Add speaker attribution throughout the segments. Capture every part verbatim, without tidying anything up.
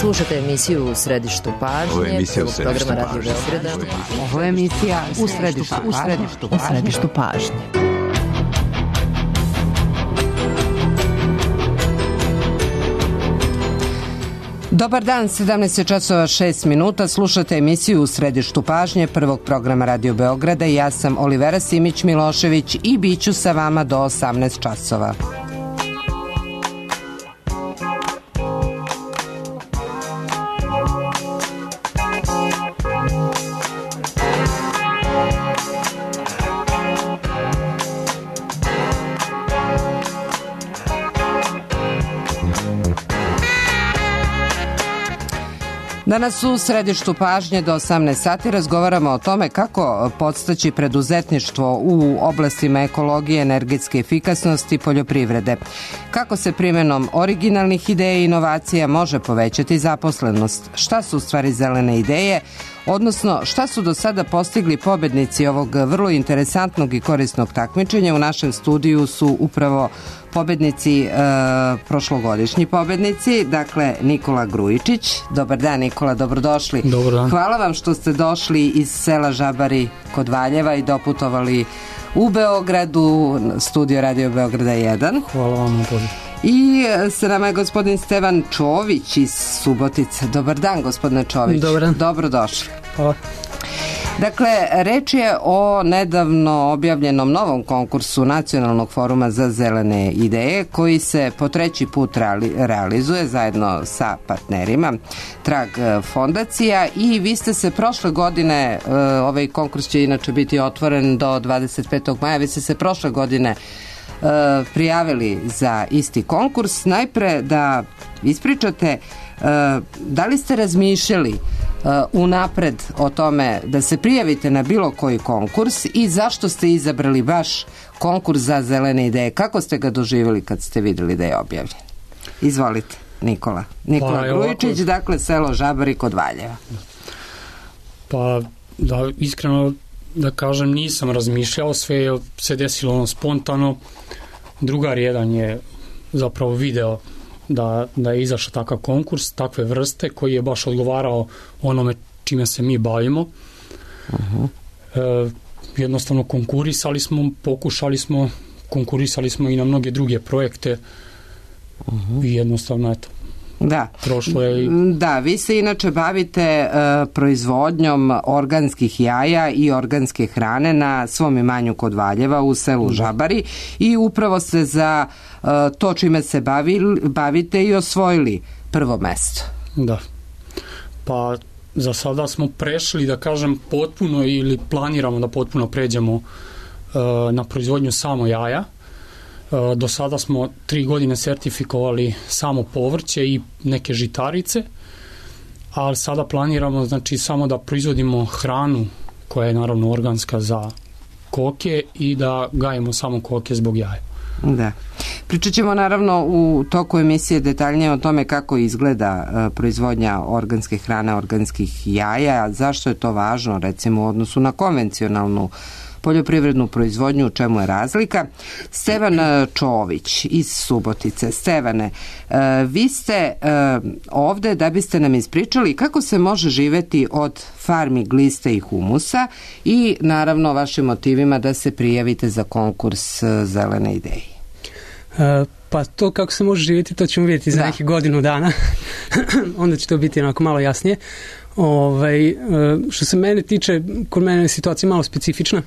Speaker 1: Slušate emisiju U središtu pažnje.
Speaker 2: Ovo je emisija U središtu
Speaker 1: programa Radio Beograda.
Speaker 3: Ovo je emisija U središtu, u središtu, u središtu pažnje. Dobar dan, sedamnaest časova šest minuta, slušate emisiju U središtu pažnje prvog programa Radio Beograda i ja sam Olivera Simić-Milošević i bit ću sa vama do osamnaest časova. Danas u središtu pažnje do osamnaest sati razgovaramo o tome kako podstaći preduzetništvo u oblastima ekologije, energetske efikasnosti i poljoprivrede. Kako se primjenom originalnih ideja i inovacija može povećati zaposlenost. Šta su u stvari zelene ideje? Odnosno, šta su do sada postigli pobednici ovog vrlo interesantnog i korisnog takmičenja? U našem studiju su upravo pobednici, e, prošlogodišnji pobednici, dakle Nikola Grujičić. Dobar dan, Nikola, dobrodošli.
Speaker 4: Dobar dan. Hvala
Speaker 3: vam što ste došli iz sela Žabari kod Valjeva i doputovali u Beogradu, studio Radio Beograda jedan.
Speaker 4: Hvala vam na pozivu.
Speaker 3: I sa nama je gospodin Stevan Čović iz Subotice. Dobar dan, gospodine Čović.
Speaker 4: Dobar dan.
Speaker 3: Dobrodošli.
Speaker 4: Hvala.
Speaker 3: Dakle, reč je o nedavno objavljenom novom konkursu Nacionalnog foruma za zelene ideje koji se po treći put reali, realizuje zajedno sa partnerima Trag fondacija i vi ste se prošle godine, ovaj konkurs će inače biti otvoren do dvadeset petog maja, vi ste se prošle godine prijavili za isti konkurs. Najpre da ispričate da li ste razmišljali unapred o tome da se prijavite na bilo koji konkurs i zašto ste izabrali baš konkurs za zelene ideje? Kako ste ga doživjeli kad ste vidjeli da je objavljen? Izvolite, Nikola. Nikola pa, Grujičić, ovako, dakle selo Žabari kod Valjeva.
Speaker 4: Pa, da, iskreno da kažem, nisam razmišljao, sve se desilo ono spontano. Drugar jedan je zapravo video da, da je izašao takav konkurs, takve vrste, koji je baš odgovarao onome čime se mi bavimo. Uh-huh. E, jednostavno konkurisali smo, pokušali smo, konkurisali smo i na mnoge druge projekte. Uh-huh. I jednostavno, eto,
Speaker 3: Da.
Speaker 4: prošlo je i...
Speaker 3: Da, vi se inače bavite uh, proizvodnjom organskih jaja i organske hrane na svom imanju kod Valjeva u selu da. Žabari i upravo ste za uh, to čime se bavili, bavite i osvojili prvo mesto.
Speaker 4: Da. Pa za sada smo prešli, da kažem, potpuno ili planiramo da potpuno pređemo uh, na proizvodnju samo jaja. Do sada smo tri godine sertifikovali samo povrće i neke žitarice, ali sada planiramo, znači, samo da proizvodimo hranu koja je naravno organska za koke i da gajimo samo koke zbog jaja.
Speaker 3: Da. Pričat ćemo naravno u toku emisije detaljnije o tome kako izgleda uh, proizvodnja organske hrane, organskih jaja, zašto je to važno recimo u odnosu na konvencionalnu poljoprivrednu proizvodnju, u čemu je razlika. Stevan Čović iz Subotice. Stevane, vi ste ovde da biste nam ispričali kako se može živeti od farmi gliste i humusa i naravno vašim motivima da se prijavite za konkurs zelene ideje.
Speaker 5: Uh, pa to kako se može živjeti, to ćemo vidjeti za da. nekih godinu dana. Onda će to biti onako malo jasnije. Ovaj, uh, što se mene tiče, kod mene je situacija malo specifična,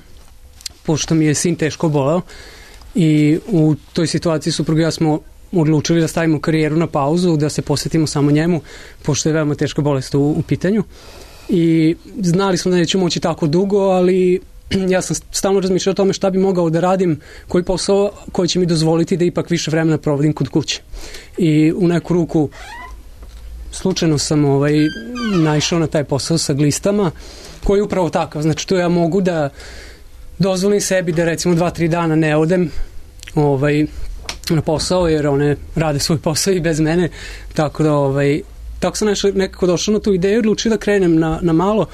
Speaker 5: pošto mi je sin teško boleo i u toj situaciji supruga i ja smo odlučili da stavimo karijeru na pauzu, da se posvetimo samo njemu, pošto je veoma teška bolest u, u pitanju. I znali smo da nećemo moći tako dugo, ali ja sam stalno razmišljao o tome šta bi mogao da radim, koji posao koji će mi dozvoliti da ipak više vremena provodim kod kuće. I u neku ruku slučajno sam ovaj, naišao na taj posao sa glistama, koji je upravo takav. Znači, to ja mogu da dozvolim sebi da recimo dva, tri dana ne odem ovaj, na posao, jer one rade svoj posao i bez mene, tako da ovaj, tako sam nešto, nekako došao na tu ideju i odlučio da krenem na, na malo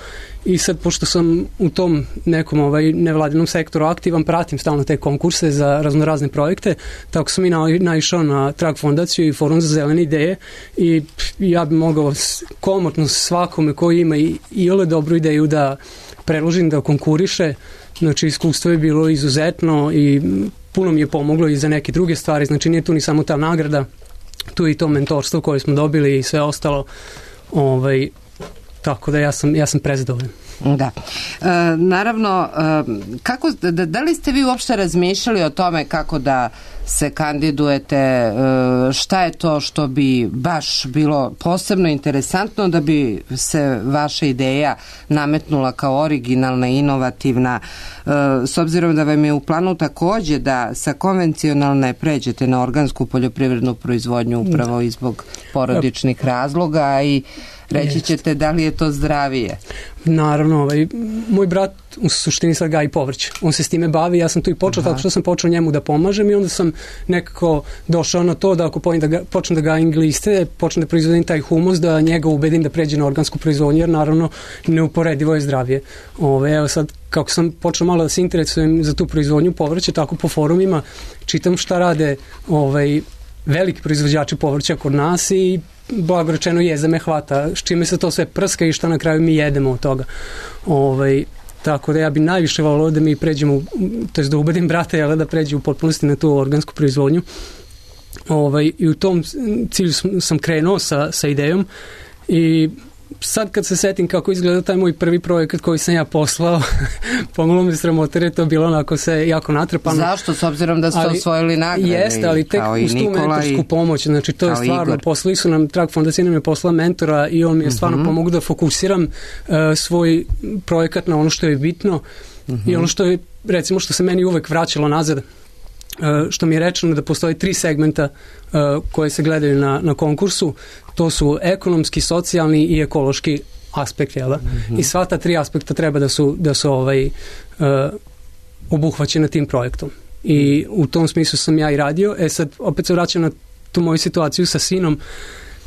Speaker 5: i sad, pošto sam u tom nekom ovaj, nevladinom sektoru aktivan, pratim stalno te konkurse za raznorazne projekte, tako sam i na, naišao na Trag fondaciju i Forum za zelene ideje i ja bi mogao komotno svakome koji ima i, i ole dobru ideju da predložim da konkuriše. Znači, iskustvo je bilo izuzetno i puno mi je pomoglo i za neke druge stvari, znači nije tu ni samo ta nagrada, tu i to mentorstvo koje smo dobili i sve ostalo, ovaj, tako da ja sam, ja sam prezadovoljan.
Speaker 3: Da. E, naravno, e, kako, da, da li ste vi uopšte razmišljali o tome kako da se kandidujete, e, šta je to što bi baš bilo posebno interesantno da bi se vaša ideja nametnula kao originalna, inovativna, e, s obzirom da vam je u planu takođe da sa konvencionalne pređete na organsku poljoprivrednu proizvodnju upravo i zbog porodičnih razloga i reći ćete da li je to zdravije?
Speaker 5: Naravno, ovaj, moj brat u suštini sad gaji povrće. On se s time bavi, ja sam tu i počeo, Aha. tako što sam počeo njemu da pomažem i onda sam nekako došao na to da ako da ga, počnem da gajim gliste, počnem da proizvodim taj humus, da njega ubedim da pređe na organsku proizvodnju, jer naravno neuporedivo je zdravije. Ove, evo sad, kako sam počeo malo da se interesujem za tu proizvodnju povrća, tako po forumima čitam šta rade ovaj, veliki proizvođači povrća kod nas i blago rečeno jeza me hvata, s čime se to sve prska i šta na kraju mi jedemo od toga. Ovaj, tako da ja bi najviše volio da mi pređemo, to je da ubedim brata, jel, da pređe u potpunosti na tu organsku proizvodnju. Ovaj, i u tom cilju sam, sam krenuo sa, sa idejom i sad kad se setim kako izgleda taj moj prvi projekat koji sam ja poslao, pomalo me sramote, jer je to bilo onako se jako natrpano.
Speaker 3: Zašto? S obzirom da ste osvojili nagrade?
Speaker 5: Jeste, ali tek uz tu mentorsku i, pomoć, znači to je stvarno, Igor. Poslali su nam, Trag fondacija nam je poslala mentora i on mi je stvarno uh-huh. pomogao da fokusiram uh, svoj projekat na ono što je bitno uh-huh. i ono što je, recimo, što se meni uvek vraćalo nazad, Uh, što mi je rečeno da postoje tri segmenta uh, koje se gledaju na, na konkursu, to su ekonomski, socijalni i ekološki aspekt, jel da? Mm-hmm. I sva ta tri aspekta treba da su, da su ovaj, uh, obuhvaćena tim projektom. I u tom smislu sam ja i radio. E sad, opet se vraćam na tu moju situaciju sa sinom.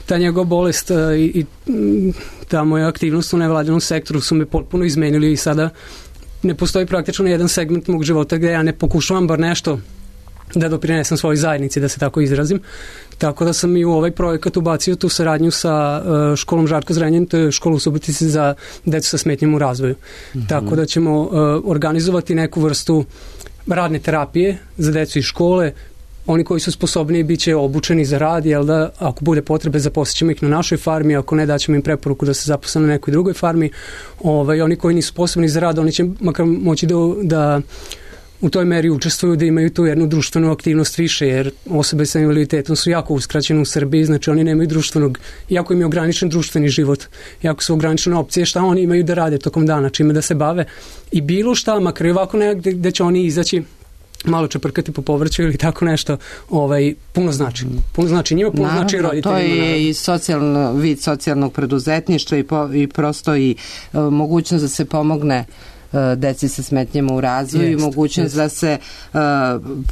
Speaker 5: Ta njegova bolest uh, i, i ta moja aktivnost u nevladinom sektoru su me potpuno izmenili i sada ne postoji praktično jedan segment mog života gde ja ne pokušavam bar nešto da doprinesem svojoj zajednici, da se tako izrazim. Tako da sam i u ovaj projekat ubacio tu saradnju sa uh, školom Žarko Zrenjanin, to je škola u Subotici za decu sa smetnjom u razvoju. Mm-hmm. Tako da ćemo uh, organizovati neku vrstu radne terapije za decu iz škole. Oni koji su sposobni bit će obučeni za rad, jel da, ako bude potrebe zaposlićemo ih na našoj farmi, ako ne daćemo im preporuku da se zaposle na nekoj drugoj farmi. Ovaj, oni koji nisu sposobni za rad, oni će makar moći da, da u toj meri učestvuju, da imaju tu jednu društvenu aktivnost više, jer osobe sa invaliditetom su jako uskraćene u Srbiji, znači oni nemaju društvenog, jako im je ograničen društveni život, jako su ograničene opcije šta oni imaju da rade tokom dana, čime da se bave i bilo šta, makar i ovako negde gde će oni izaći malo čeprkati po povrću ili tako nešto, ovaj, puno znači. Puno znači njima, puno naravno, znači roditeljima. To je naravno. I socijalno, vid socijalnog preduzetništva i, po, i prosto i uh, mogućnost da se pomogne deci sa smetnjama u razvoju i mogućnost jest. da se uh,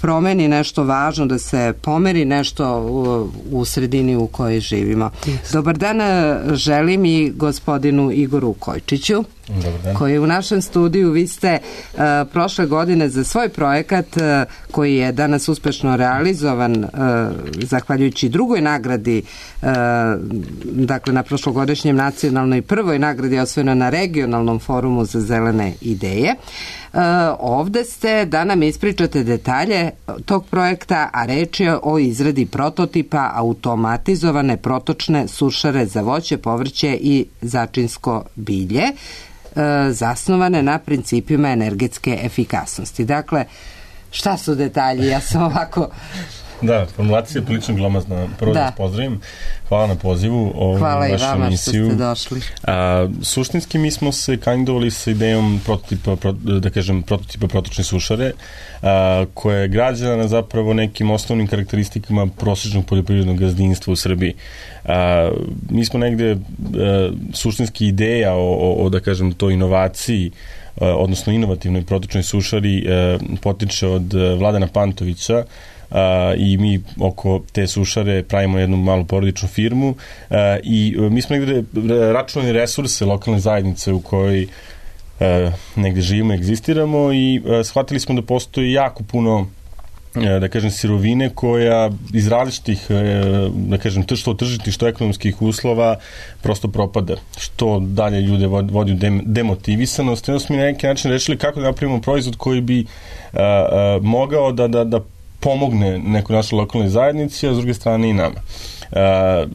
Speaker 5: promeni nešto važno, da se pomeri nešto u, u sredini u kojoj živimo. Jest. Dobar dan želim i gospodinu Igoru Kojčiću, koji je u našem studiju. Vi ste uh, prošle godine za svoj projekat uh, koji je danas uspešno realizovan uh, zahvaljujući drugoj nagradi, uh, dakle na prošlogodišnjem nacionalnoj prvoj nagradi osvojena na regionalnom forumu za zelene ideje. Uh, ovde ste da nam ispričate detalje tog projekta, a reč je o izradi prototipa automatizovane protočne sušare za voće, povrće i začinsko bilje, uh, zasnovane na principima energetske efikasnosti. Dakle, šta su detalji? Ja sam ovako...
Speaker 2: Da, formulacija je prilično glomazna. Prvo da vas pozdravim. Hvala na pozivu. Ovu
Speaker 3: Hvala
Speaker 2: i vama
Speaker 3: emisiju. Što ste došli.
Speaker 2: A, suštinski mi smo se kandidovali sa idejom prototipa, pro, da kažem, prototipa protočne sušare, a, koja je građana na zapravo nekim osnovnim karakteristikama prosječnog poljoprivrednog gazdinstva u Srbiji. A, mi smo negde a, suštinski ideja o, o, o, da kažem, toj inovaciji, odnosno inovativnoj protočnoj sušari, a, potiče od Vladana Pantovića, i mi oko te sušare pravimo jednu malu porodičnu firmu i mi smo negde računali resurse lokalne zajednice u kojoj negde živimo, egzistiramo i shvatili smo da postoji jako puno da kažem sirovine koja iz različitih da kažem što tržišnih što ekonomskih uslova prosto propada, što dalje ljude vodi u demotivisanost. Onda smo mi na neki način rešili kako da napravimo proizvod koji bi a, a, mogao da, da, da pomogne nekoj našoj lokalnoj zajednici, a s druge strane i nama. Uh,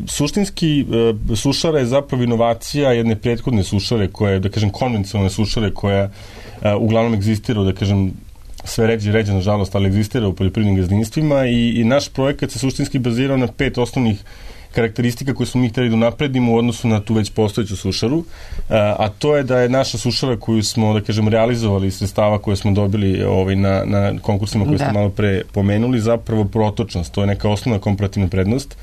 Speaker 2: suštinski uh, sušara je zapravo inovacija jedne prethodne sušare koja je, da kažem, konvencionalne sušare koja uh, uglavnom egzistira, da kažem, sve ređe i ređe, nažalost, ali egzistira u poljoprivrednim gazdinstvima i, i naš projekat se suštinski bazirao na pet osnovnih karakteristika koje smo mi hteli da napredimo u odnosu na tu već postojeću sušaru, a to je da je naša sušara koju smo, da kažem, realizovali iz sredstava koje smo dobili ovaj, na, na konkursima koje da. ste malo pre pomenuli, zapravo protočnost, to je neka osnovna komparativna prednost.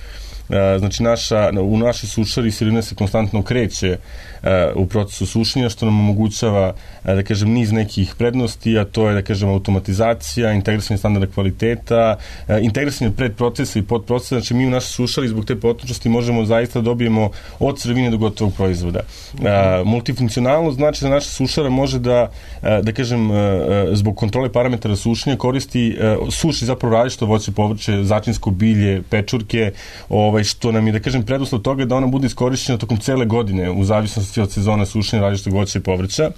Speaker 2: Znači, naša, u našoj sušari sirovina se konstantno kreće u procesu sušenja, što nam omogućava, da kažem, niz nekih prednosti, a to je, da kažem, automatizacija, integrisanje standarda kvaliteta, integrisanje predprocesa i podprocesa. Znači, mi u našoj sušari zbog te protočnosti možemo zaista dobijemo od sirovine do gotovog proizvoda. Multifunkcionalnost znači da naša sušara može da, da kažem, zbog kontrole parametara sušenja koristi, suši zapravo različito voće, povrće, začinsko bilje, pečurke, ovaj, što nam je, da kažem, preduslov toga da ona bude iskorišćena tokom cele godine u zavisnosti od sezona sušenja različitog voća i povrća.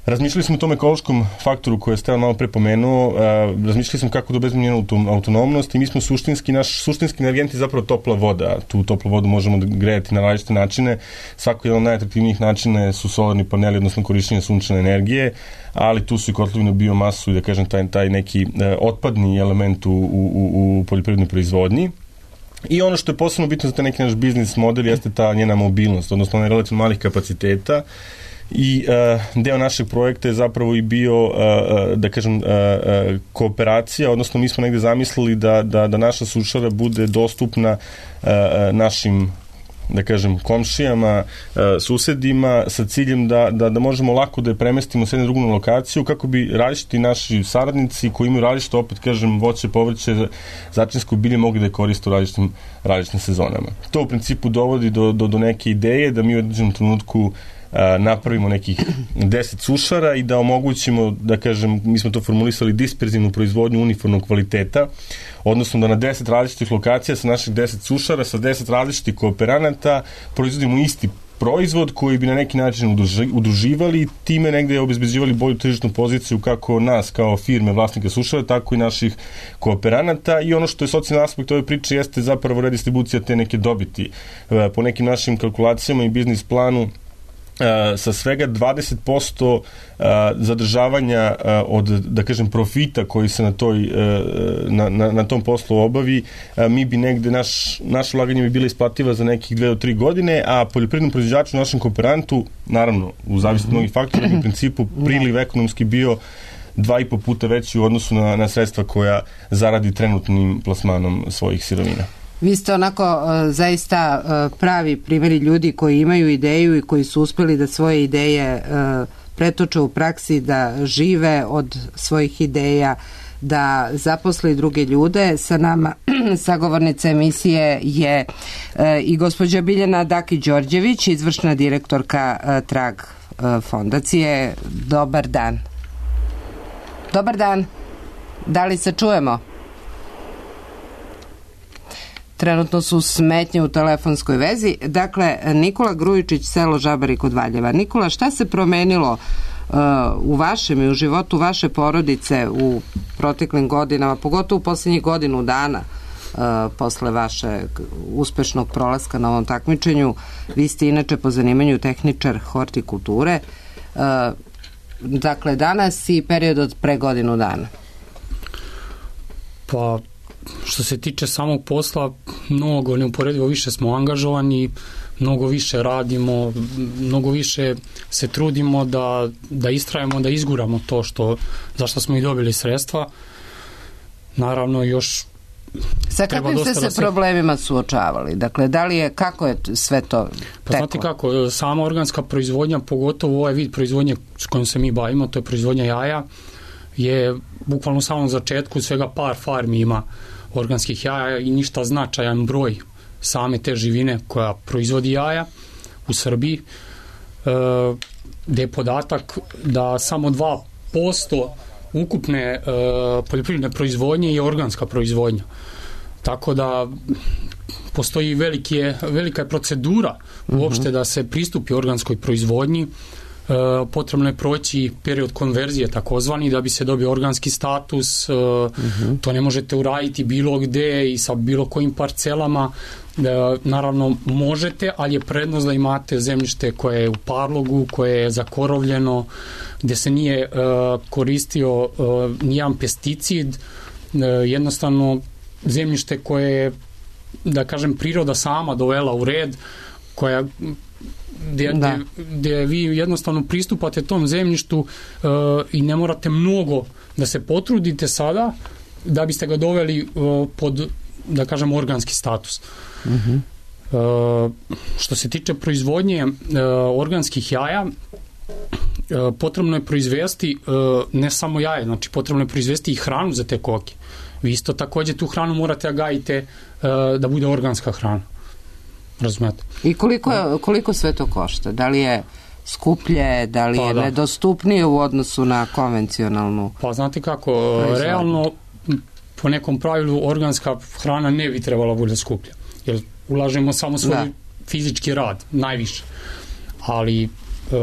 Speaker 2: Razmišljali smo o tom ekološkom faktoru koje je Stevan malo pre pomenuo, razmišljali smo kako da obezbedimo njenu autonomnost i mi smo suštinski, naš suštinski energent je zapravo topla voda. Tu toplu vodu možemo da grejati na različite načine. Svako jedan od najatraktivnijih načina su solarni paneli, odnosno korišćenje sunčane energije, ali tu su i kotlovi na biomasu i, da kažem, taj, taj neki otpadni element u, u, u poljoprivrednoj proizvodnji. I ono što je posebno bitno za taj neki naš biznis model jeste ta njena mobilnost, odnosno ona relativno malih kapaciteta i uh, deo našeg projekta je zapravo i bio, uh, da kažem, uh, uh, kooperacija, odnosno mi smo negde zamislili da, da, da naša sušara bude dostupna uh, našim, da kažem, komšijama, susedima, sa ciljem da, da, da možemo lako da je premestimo s jedne drugu lokaciju, kako bi različiti naši saradnici koji imaju različito, opet kažem, voće, povrće, začinsko bilje mogli da je koriste u različitim, različitim sezonama. To u principu dovodi do, do, do neke ideje da mi u određenom trenutku napravimo nekih deset sušara i da omogućimo, da kažem, mi smo to formulisali, disperzivnu proizvodnju uniformnog kvaliteta, odnosno da na deset različitih lokacija sa naših deset sušara, sa deset različitih kooperanata proizvodimo isti proizvod koji bi na neki način udruživali i time negde obezbeđivali bolju tržišnu poziciju kako nas kao firme vlasnika sušara, tako i naših kooperanata. I ono što je socijalni aspekt ove priče jeste zapravo redistribucija te neke dobiti. Po nekim našim kalkulacijama i biznis planu Uh, sa svega dvadeset posto uh, zadržavanja uh, od, da kažem, profita koji se na, toj, uh, na, na, na tom poslu obavi, uh, mi bi negde, naš, naše ulaganje bi bila isplativa za nekih dve do tri godine, a poljoprivrednom proizvođaču, našem kooperantu, naravno, u zavisnosti od mnogih faktora, bi u principu priliv ekonomski bio dva i po puta veći u odnosu na, na sredstva koja zaradi trenutnim plasmanom svojih sirovina.
Speaker 3: Vi ste onako uh, zaista uh, pravi primjeri ljudi koji imaju ideju i koji su uspeli da svoje ideje uh, pretoče u praksi, da žive od svojih ideja, da zaposli druge ljude. Sa nama sagovornica emisije je uh, i gospođa Biljana Daki-Đorđević, izvršna direktorka uh, Trag uh, fondacije. Dobar dan. Dobar dan. Da li se čujemo? Trenutno su smetnje u telefonskoj vezi. Dakle, Nikola Grujičić, selo Žabari kod Valjeva. Nikola, šta se promenilo uh, u vašem i u životu vaše porodice u proteklim godinama, pogotovo u posljednjih godinu dana uh, posle vaše uspešnog prolaska na ovom takmičenju? Vi ste inače po zanimanju tehničar hortikulture. Uh, dakle, danas i period od pre godinu dana.
Speaker 4: Pa, što se tiče samog posla, mnogo neuporedivo više smo angažovani, mnogo više radimo, mnogo više se trudimo da, da istrajemo, da izguramo to što, za što smo i dobili sredstva. Naravno, još
Speaker 3: sa kakvim ste se da se... problemima suočavali? Dakle, da li je, kako je sve to teklo?
Speaker 4: Pa znate kako, sama organska proizvodnja, pogotovo ovaj vid proizvodnje s kojom se mi bavimo, to je proizvodnja jaja, je bukvalno u samom začetku svega par farmi ima organskih jaja i ništa značajan broj same te živine koja proizvodi jaja u Srbiji, gde je podatak da samo dva posto ukupne poljoprivredne proizvodnje je organska proizvodnja. Tako da postoji velike, velika je procedura uopšte da se pristupi organskoj proizvodnji. Potrebno je proći period konverzije takozvani da bi se dobio organski status. Uh-huh. To ne možete uraditi bilo gde i sa bilo kojim parcelama. Naravno možete, ali je prednost da imate zemljište koje je u parlogu, koje je zakorovljeno, gde se nije uh, koristio uh, nijedan pesticid, uh, jednostavno zemljište koje je, da kažem, priroda sama dovela u red, koja Gde, gde, gde vi jednostavno pristupate tom zemljištu uh, i ne morate mnogo da se potrudite sada da biste ga doveli uh, pod, da kažem, organski status. Uh-huh. Uh, što se tiče proizvodnje uh, organskih jaja, uh, potrebno je proizvesti uh, ne samo jaje, znači potrebno je proizvesti i hranu za te koke. Vi isto takođe tu hranu morate da gajite uh, da bude organska hrana. Razumete.
Speaker 3: I koliko, koliko sve to košta? Da li je skuplje, da li je pa, da. nedostupnije u odnosu na konvencionalnu?
Speaker 4: Pa znate kako, proizvodnju? Realno po nekom pravilu organska hrana ne bi trebala bude skuplja. Jer ulažemo samo svoj da. fizički rad, najviše. Ali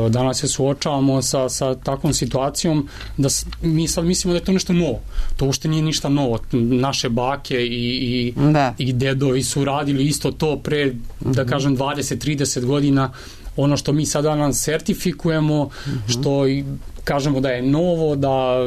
Speaker 4: danas se suočavamo sa, sa takvom situacijom da mi sad mislimo da je to nešto novo. To uopšte nije ništa novo. Naše bake i, i, i dedovi su radili isto to pre, da kažem, dvadeset trideset godina. Ono što mi sada nam sertifikujemo, što i kažemo da je novo, da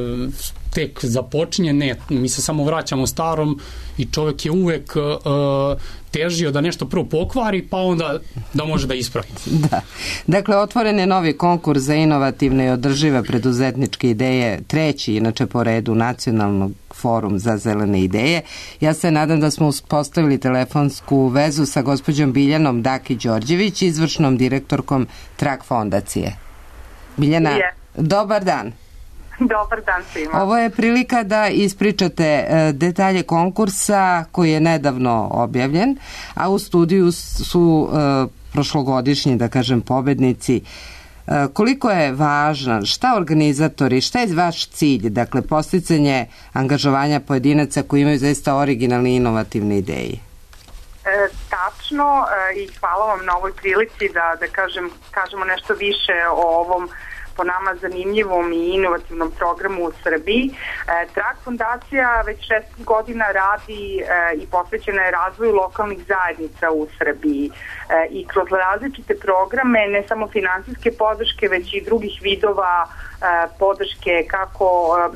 Speaker 4: tek započinje, ne, mi se samo vraćamo starom i čovjek je uvek uh, težio da nešto prvo pokvari, pa onda da može da ispravi.
Speaker 3: Da. Dakle, otvoren je novi konkurs za inovativne i održive preduzetničke ideje, treći, inače po redu, Nacionalnog forum za zelene ideje. Ja se nadam da smo uspostavili telefonsku vezu sa gospođom Biljanom Daki-Đorđević, izvršnom direktorkom Trak fondacije. Biljana, je. Dobar dan.
Speaker 6: Dobar dan svima.
Speaker 3: Ovo je prilika da ispričate detalje konkursa koji je nedavno objavljen, a u studiju su uh, prošlogodišnji, da kažem, pobednici. Uh, koliko je važan, šta organizatori, šta je vaš cilj, dakle, posticanje angažovanja pojedinaca koji imaju zaista originalne i inovativne ideje?
Speaker 6: E, tačno e, i hvala vam na ovoj prilici da, da kažem, kažemo nešto više o ovom po nama zanimljivom i inovativnom programu u Srbiji. E, Trak fondacija već šest godina radi e, i posvećena je razvoju lokalnih zajednica u Srbiji e, i kroz različite programe, ne samo finansijske podrške, već i drugih vidova e, podrške kako e,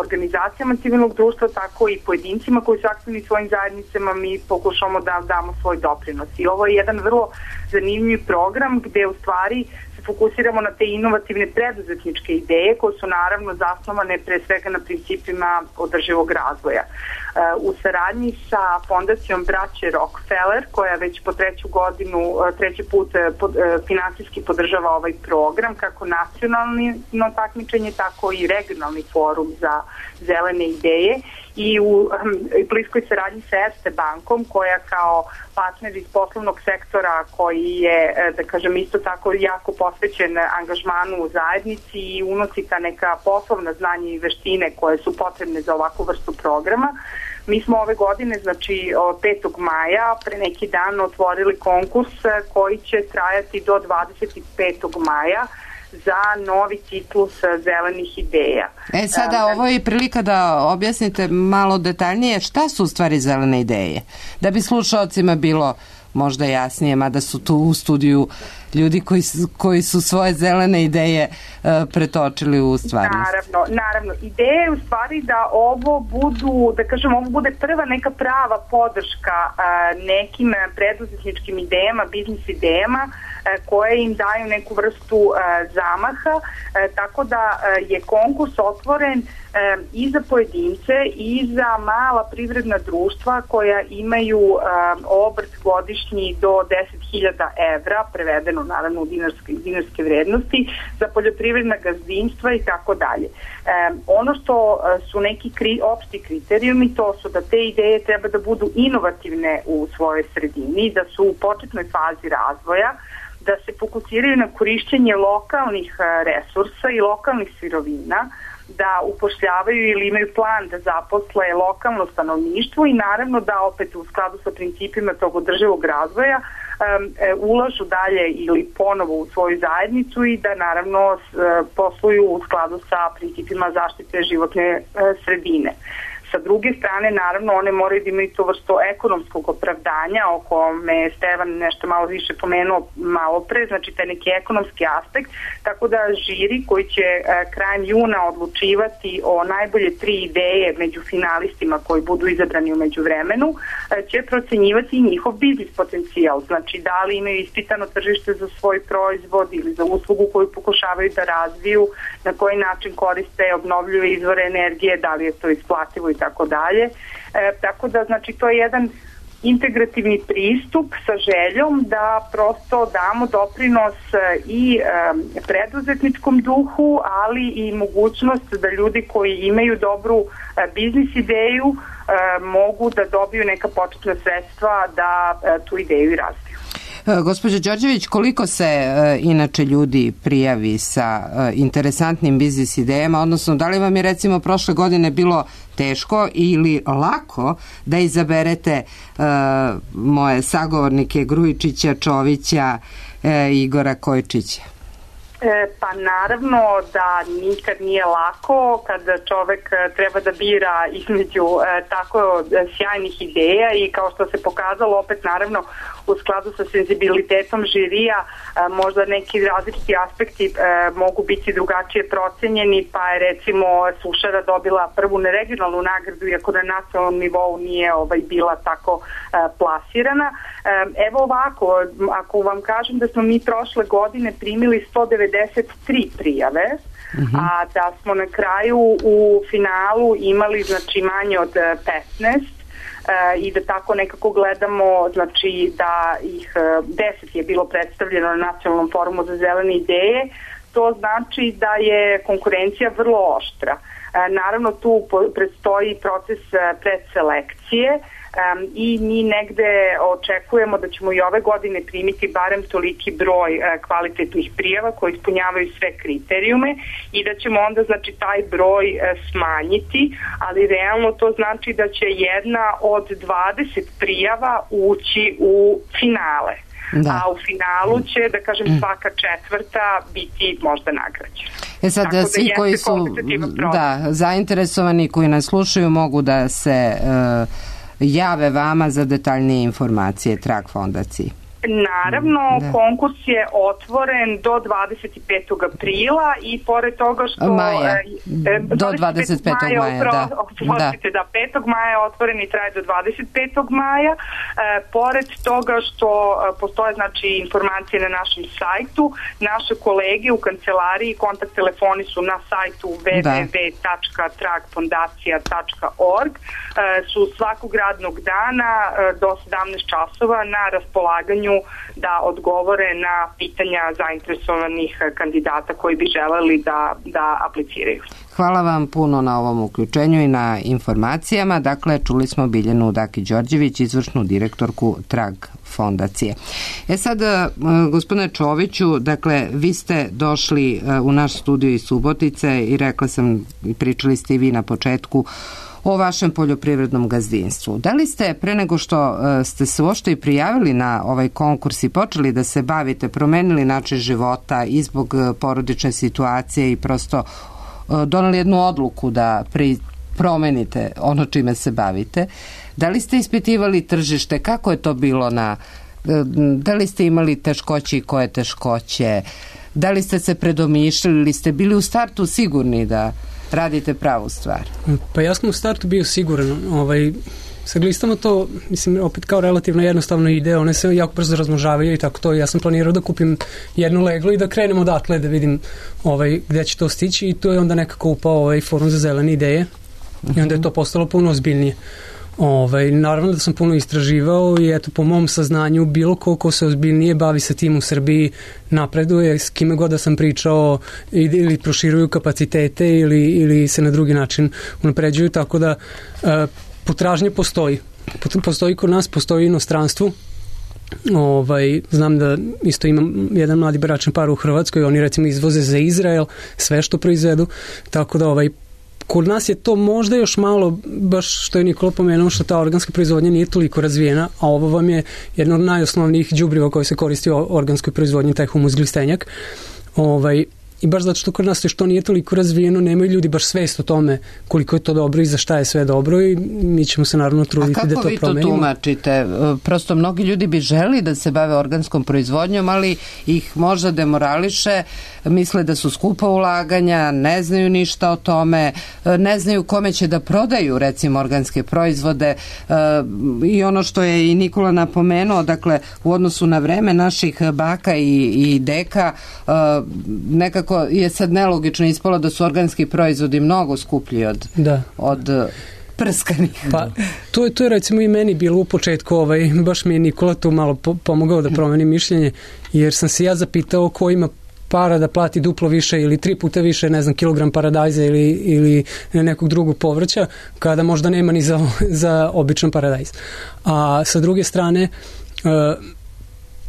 Speaker 6: organizacijama civilnog društva, tako i pojedincima koji su aktivni svojim zajednicama, mi pokušamo da damo svoj doprinos. I ovo je jedan vrlo zanimljiv program gde u stvari fokusiramo na te inovativne preduzetničke ideje koje su naravno zasnovane pre svega na principima održivog razvoja. U saradnji sa fondacijom braće Rockefeller, koja već po treću godinu, treći put finansijski podržava ovaj program, kako nacionalno takmičenje, tako i regionalni forum za zelene ideje, i u bliskoj saradnji sa Erste bankom, koja kao partner iz poslovnog sektora koji je, da kažem, isto tako jako posvećen angažmanu u zajednici i unosi ta neka poslovna znanja i veštine koje su potrebne za ovakvu vrstu programa. Mi smo ove godine, znači od petog maja, pre neki dan otvorili konkurs koji će trajati do dvadeset petog maja za novi ciklus zelenih ideja.
Speaker 3: E sada, ovo je prilika da objasnite malo detaljnije šta su u stvari zelene ideje. Da bi slušalcima bilo možda jasnije, mada su tu u studiju ljudi koji su, koji su svoje zelene ideje uh, pretočili u stvarnost.
Speaker 6: Naravno, naravno. Ideja je u stvari da ovo budu, da kažem, ovo bude prva neka prava podrška uh, nekim preduzetničkim idejama, biznis idejama, uh, koje im daju neku vrstu uh, zamaha, uh, tako da uh, je konkurs otvoren um, i za pojedince i za mala privredna društva koja imaju um, obrt godišnji do deset hiljada evra, prevedeno naravno u dinarske, dinarske vrednosti, za poljoprivredna gazdinstva i tako dalje. Ono što su neki kri, opšti kriterijumi, to su da te ideje treba da budu inovativne u svojoj sredini, da su u početnoj fazi razvoja, da se fokusiraju na korišćenje lokalnih resursa i lokalnih sirovina, da upošljavaju ili imaju plan da zaposle lokalno stanovništvo i naravno da opet u skladu sa principima tog održivog razvoja um, ulažu dalje ili ponovo u svoju zajednicu i da naravno posluju u skladu sa principima zaštite životne uh, sredine. Sa druge strane, naravno, one moraju da imaju to vrsto ekonomskog opravdanja, o kome je Stevan nešto malo više pomenuo malo pre, znači taj neki ekonomski aspekt, tako da žiri koji će e, krajem juna odlučivati o najbolje tri ideje među finalistima koji budu izabrani u međuvremenu, e, će procenjivati njihov biznis potencijal, znači da li imaju ispitano tržište za svoj proizvod ili za uslugu koju pokušavaju da razviju, na koji način koriste obnovljive izvore energije, da li je to isplativo i tako dalje. E, tako da, znači, to je jedan integrativni pristup sa željom da prosto damo doprinos i e, preduzetničkom duhu, ali i mogućnost da ljudi koji imaju dobru e, biznis ideju e, mogu da dobiju neka početna sredstva da e, tu ideju i razviju.
Speaker 3: Gospođo Đorđević, koliko se e, inače ljudi prijavi sa e, interesantnim biznis idejama, odnosno da li vam je recimo prošle godine bilo teško ili lako da izaberete e, moje sagovornike Grujičića, Čovića, e, Igora Kojčića?
Speaker 6: E, pa naravno da nikad nije lako kada čovek treba da bira između e, tako sjajnih ideja i kao što se pokazalo opet naravno u skladu sa senzibilitetom žirija e, možda neki različiti aspekti e, mogu biti drugačije procenjeni, pa je recimo Sušara dobila prvu regionalnu nagradu iako na nacionalnom nivou nije ovaj, bila tako e, plasirana. E, evo ovako, ako vam kažem da smo mi prošle godine primili sto devedeset tri prijave, uh-huh. a da smo na kraju u finalu imali znači manje od petnaest e, i da tako nekako gledamo, znači da ih deset je bilo predstavljeno na Nacionalnom forumu za zelene ideje, to znači da je konkurencija vrlo oštra. E, naravno tu predstoji proces predselekcije, Um, i mi negde očekujemo da ćemo i ove godine primiti barem toliki broj uh, kvalitetnih prijava koji ispunjavaju sve kriterijume i da ćemo onda znači taj broj uh, smanjiti, ali realno to znači da će jedna od dvadeset prijava ući u finale. Da. A u finalu će, da kažem, svaka četvrta biti možda nagrađena.
Speaker 3: E sad,
Speaker 6: da
Speaker 3: svi koji su da, zainteresovani, koji nas slušaju, mogu da se uh, jave vama za detaljnije informacije Trag fondaciji.
Speaker 6: Naravno, da. Konkurs je otvoren do dvadeset petog aprila i pored toga što...
Speaker 3: Maja, e, do dvadeset petog maja, maja
Speaker 6: da. Oprostite, da. da, petog maja je otvoren i traje do dvadeset petog maja. E, pored toga što postoje, znači, informacije na našem sajtu, naše kolege u kancelariji, kontakt telefoni su na sajtu w w w tačka trag fondacija tačka org, e, su svakog radnog dana e, do sedamnaest časova na raspolaganju da odgovore na pitanja zainteresovanih kandidata koji bi želeli da, da apliciraju.
Speaker 3: Hvala vam puno na ovom uključenju i na informacijama. Dakle, čuli smo Biljanu Daki-Đorđević, izvršnu direktorku Trag fondacije. E sad, gospodine Čoviću, dakle, vi ste došli u naš studio iz Subotice i rekla sam, pričali ste i vi na početku o vašem poljoprivrednom gazdinstvu. Da li ste, pre nego što ste se uopšte i prijavili na ovaj konkurs i počeli da se bavite, promenili način života i zbog porodične situacije i prosto doneli jednu odluku da pri, promenite ono čime se bavite, da li ste ispitivali tržište, kako je to bilo na, da li ste imali teškoće i koje teškoće, da li ste se predomišljali ili ste bili u startu sigurni da radite pravu stvar?
Speaker 5: Pa ja sam u startu bio siguran. Ovaj, sad listamo to, mislim, opet kao relativno jednostavno ide, one se jako brzo razmnožavaju i tako to. Ja sam planirao da kupim jedno leglo i da krenem odatle da vidim ovaj, gde će to stići i to je onda nekako upao ovaj forum za zelene ideje uh-huh. i onda je to postalo puno ozbiljnije. Ovaj, naravno da sam puno istraživao i eto po mom saznanju bilo ko ko se ozbiljnije bavi sa tim u Srbiji napreduje, s kime god da sam pričao ili proširuju kapacitete ili, ili se na drugi način unapređuju, tako da e, potražnja postoji. Postoji kod nas, postoji inostranstvu. Ovaj, znam da isto imam jedan mladi bračni par u Hrvatskoj, oni recimo izvoze za Izrael sve što proizvedu, tako da ovaj kod nas je to možda još malo, baš što je Nikola pomenuo, što ta organska proizvodnja nije toliko razvijena, a ovo vam je jedno od najosnovnijih đubriva koje se koristi u organskoj proizvodnji, taj humus glistenjak. Ovaj, I baš zato što kod nas što nije toliko razvijeno, nemaju ljudi baš svest o tome koliko je to dobro i za šta je sve dobro i mi ćemo se naravno truditi da to promenimo.
Speaker 3: A kako vi to tumačite? Prosto mnogi ljudi bi želi da se bave organskom proizvodnjom, ali ih možda demorališe, misle da su skupa ulaganja, ne znaju ništa o tome, ne znaju kome će da prodaju recimo organske proizvode i ono što je i Nikola napomenuo, dakle u odnosu na vreme naših baka i, i deka nekako je sad nelogično ispalo da su organski proizvodi mnogo skuplji od,
Speaker 5: da.
Speaker 3: od prskanih.
Speaker 5: Pa, to je, to je recimo i meni bilo u početku, ovaj, baš mi je Nikola tu malo po, pomogao da promeni mišljenje, jer sam se ja zapitao ko ima para da plati duplo više ili tri puta više, ne znam, kilogram paradajza ili, ili nekog drugog povrća, kada možda nema ni za, za običan paradajz. A sa druge strane, uh,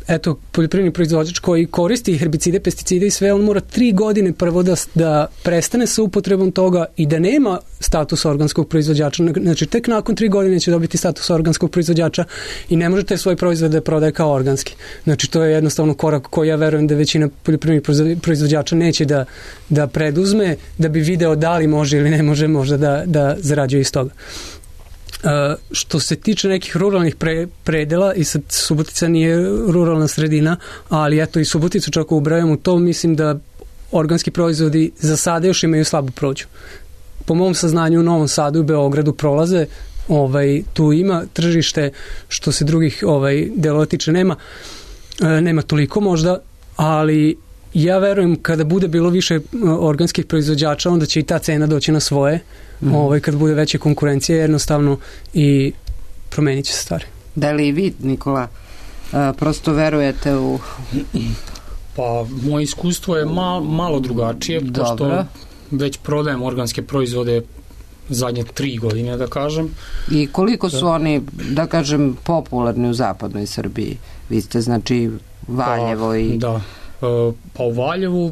Speaker 5: eto, poljoprivredni proizvođač koji koristi herbicide, pesticide i sve, on mora tri godine prvo da, da prestane sa upotrebom toga i da nema status organskog proizvođača. Znači, tek nakon tri godine će dobiti status organskog proizvođača i ne možete svoj proizvod da prodaje kao organski. Znači, to je jednostavno korak koji ja verujem da većina poljoprivrednih proizvođača neće da, da preduzme, da bi video da li može ili ne može možda da, da zarađuje iz toga. Uh, što se tiče nekih ruralnih pre, predela, i sad Subotica nije ruralna sredina, ali eto i Suboticu čak ubrajam u to, mislim da organski proizvodi za sada još imaju slabu prođu. Po mom saznanju u Novom Sadu i Beogradu prolaze, ovaj, tu ima tržište, što se drugih ovaj, delova tiče nema, uh, nema toliko možda, ali ja verujem kada bude bilo više organskih proizvođača, onda će i ta cena doći na svoje, mm. ovaj, kad bude veća konkurencija, jednostavno i promenit će se stvari.
Speaker 3: Da li i vi, Nikola, prosto verujete u...
Speaker 4: Pa, moje iskustvo je mal, malo drugačije,
Speaker 3: Dobro.
Speaker 4: pošto već prodajem organske proizvode zadnje tri godine, da kažem.
Speaker 3: I koliko su oni, da kažem, popularni u zapadnoj Srbiji? Vi ste, znači, Valjevo
Speaker 4: pa,
Speaker 3: i...
Speaker 4: Da. Pa u Valjevu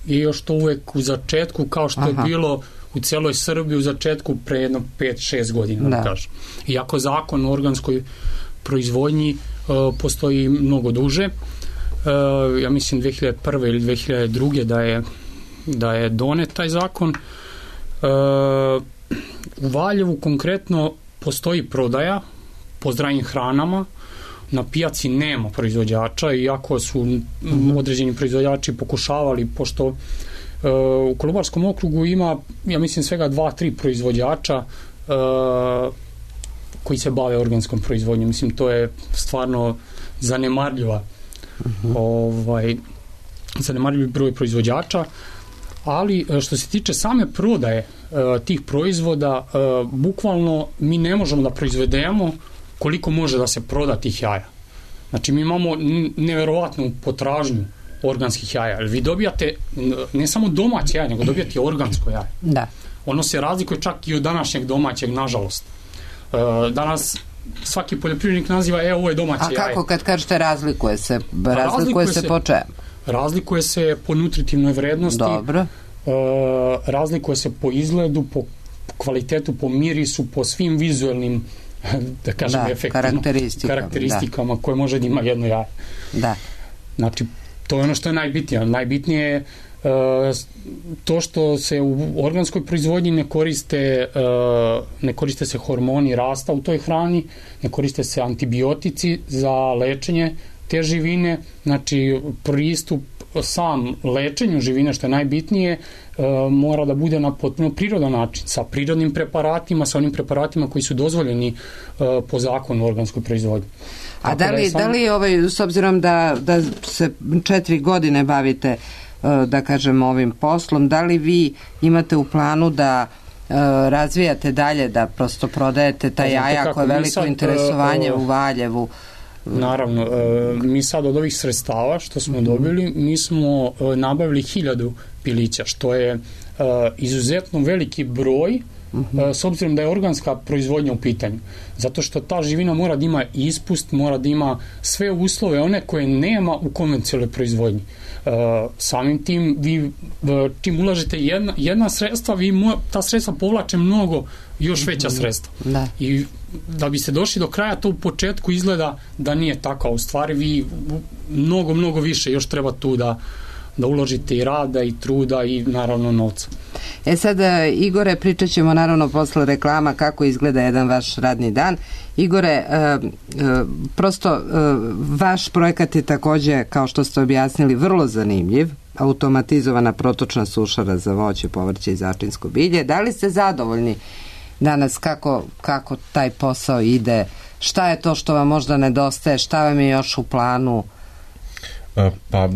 Speaker 4: je još to uvek u začetku, kao što Aha. je bilo u celoj Srbiji u začetku pre jedno pet šest godina, da, da kažem. Iako zakon o organskoj proizvodnji uh, postoji mnogo duže, uh, ja mislim dve hiljade prve ili dve hiljade druge da je, da je donet taj zakon. Uh, u Valjevu konkretno postoji prodaja po zdravim hranama, na pijaci nema proizvođača, iako su mm-hmm. određeni proizvođači pokušavali, pošto uh, u Kolubarskom okrugu ima, ja mislim, svega dva, tri proizvođača uh, koji se bave organskom proizvodnjom. Mislim, to je stvarno zanemarljiva mm-hmm. ovaj, zanemarljiv broj proizvođača, ali što se tiče same prodaje uh, tih proizvoda, uh, bukvalno mi ne možemo da proizvedemo koliko može da se proda tih jaja. Znači, mi imamo neverovatnu potražnju organskih jaja. Vi dobijate ne samo domaće jaje, nego dobijate organsko jaje.
Speaker 3: Da. Ono
Speaker 4: se razlikuje čak i od današnjeg domaćeg, nažalost. Danas svaki poljoprivrednik naziva, e, ovo je domaće jaje.
Speaker 3: A kako kad kažete razlikuje se? Razlikuje, razlikuje se, se po čemu?
Speaker 4: Razlikuje se po nutritivnoj vrednosti.
Speaker 3: Dobro.
Speaker 4: Razlikuje se po izgledu, po kvalitetu, po mirisu, po svim vizuelnim, da kažem,
Speaker 3: da,
Speaker 4: efektima,
Speaker 3: karakteristikama,
Speaker 4: karakteristikama da. koje može da ima jedno jaje.
Speaker 3: Da.
Speaker 4: Znači, to je ono što je najbitnije. Najbitnije je uh, to što se u organskoj proizvodnji ne koriste, uh, ne koriste se hormoni rasta u toj hrani, ne koriste se antibiotici za lečenje te živine, znači pristup sam lečenju živine, što je najbitnije, uh, mora da bude na potpuno prirodan način, sa prirodnim preparatima, sa onim preparatima koji su dozvoljeni uh, po zakonu o organskoj proizvodnji.
Speaker 3: A da li, sam... da li ovaj, s obzirom da, da se četiri godine bavite, uh, da kažem, ovim poslom, da li vi imate u planu da razvijate dalje, da prosto prodajete ta jaja koje je veliko sad, interesovanje uh, uh, u Valjevu?
Speaker 4: Naravno, uh, mi sad od ovih sredstava što smo uh-huh. dobili, mi smo uh, nabavili hiljadu pilića, što je uh, izuzetno veliki broj, uh-huh. uh, s obzirom da je organska proizvodnja u pitanju. Zato što ta živina mora da ima ispust, mora da ima sve uslove, one koje nema u konvencionalnoj proizvodnji. Uh, samim tim, vi uh, čim ulažete jedna, jedna sredstva, vi mo, ta sredstva povlače mnogo još veća sredstva. Da. I da bi se došli do kraja, to u početku izgleda da nije tako. U stvari vi mnogo, mnogo više još treba tu da da uložite i rada i truda i naravno novca.
Speaker 3: E sad, Igore, pričat ćemo naravno posle reklama kako izgleda jedan vaš radni dan. Igore, e, e, prosto e, vaš projekat je takođe, kao što ste objasnili, vrlo zanimljiv. Automatizovana protočna sušara za voće, povrće i začinsko bilje. Da li ste zadovoljni danas kako, kako taj posao ide? Šta je to što vam možda nedostaje? Šta vam je još u planu?
Speaker 2: Pa,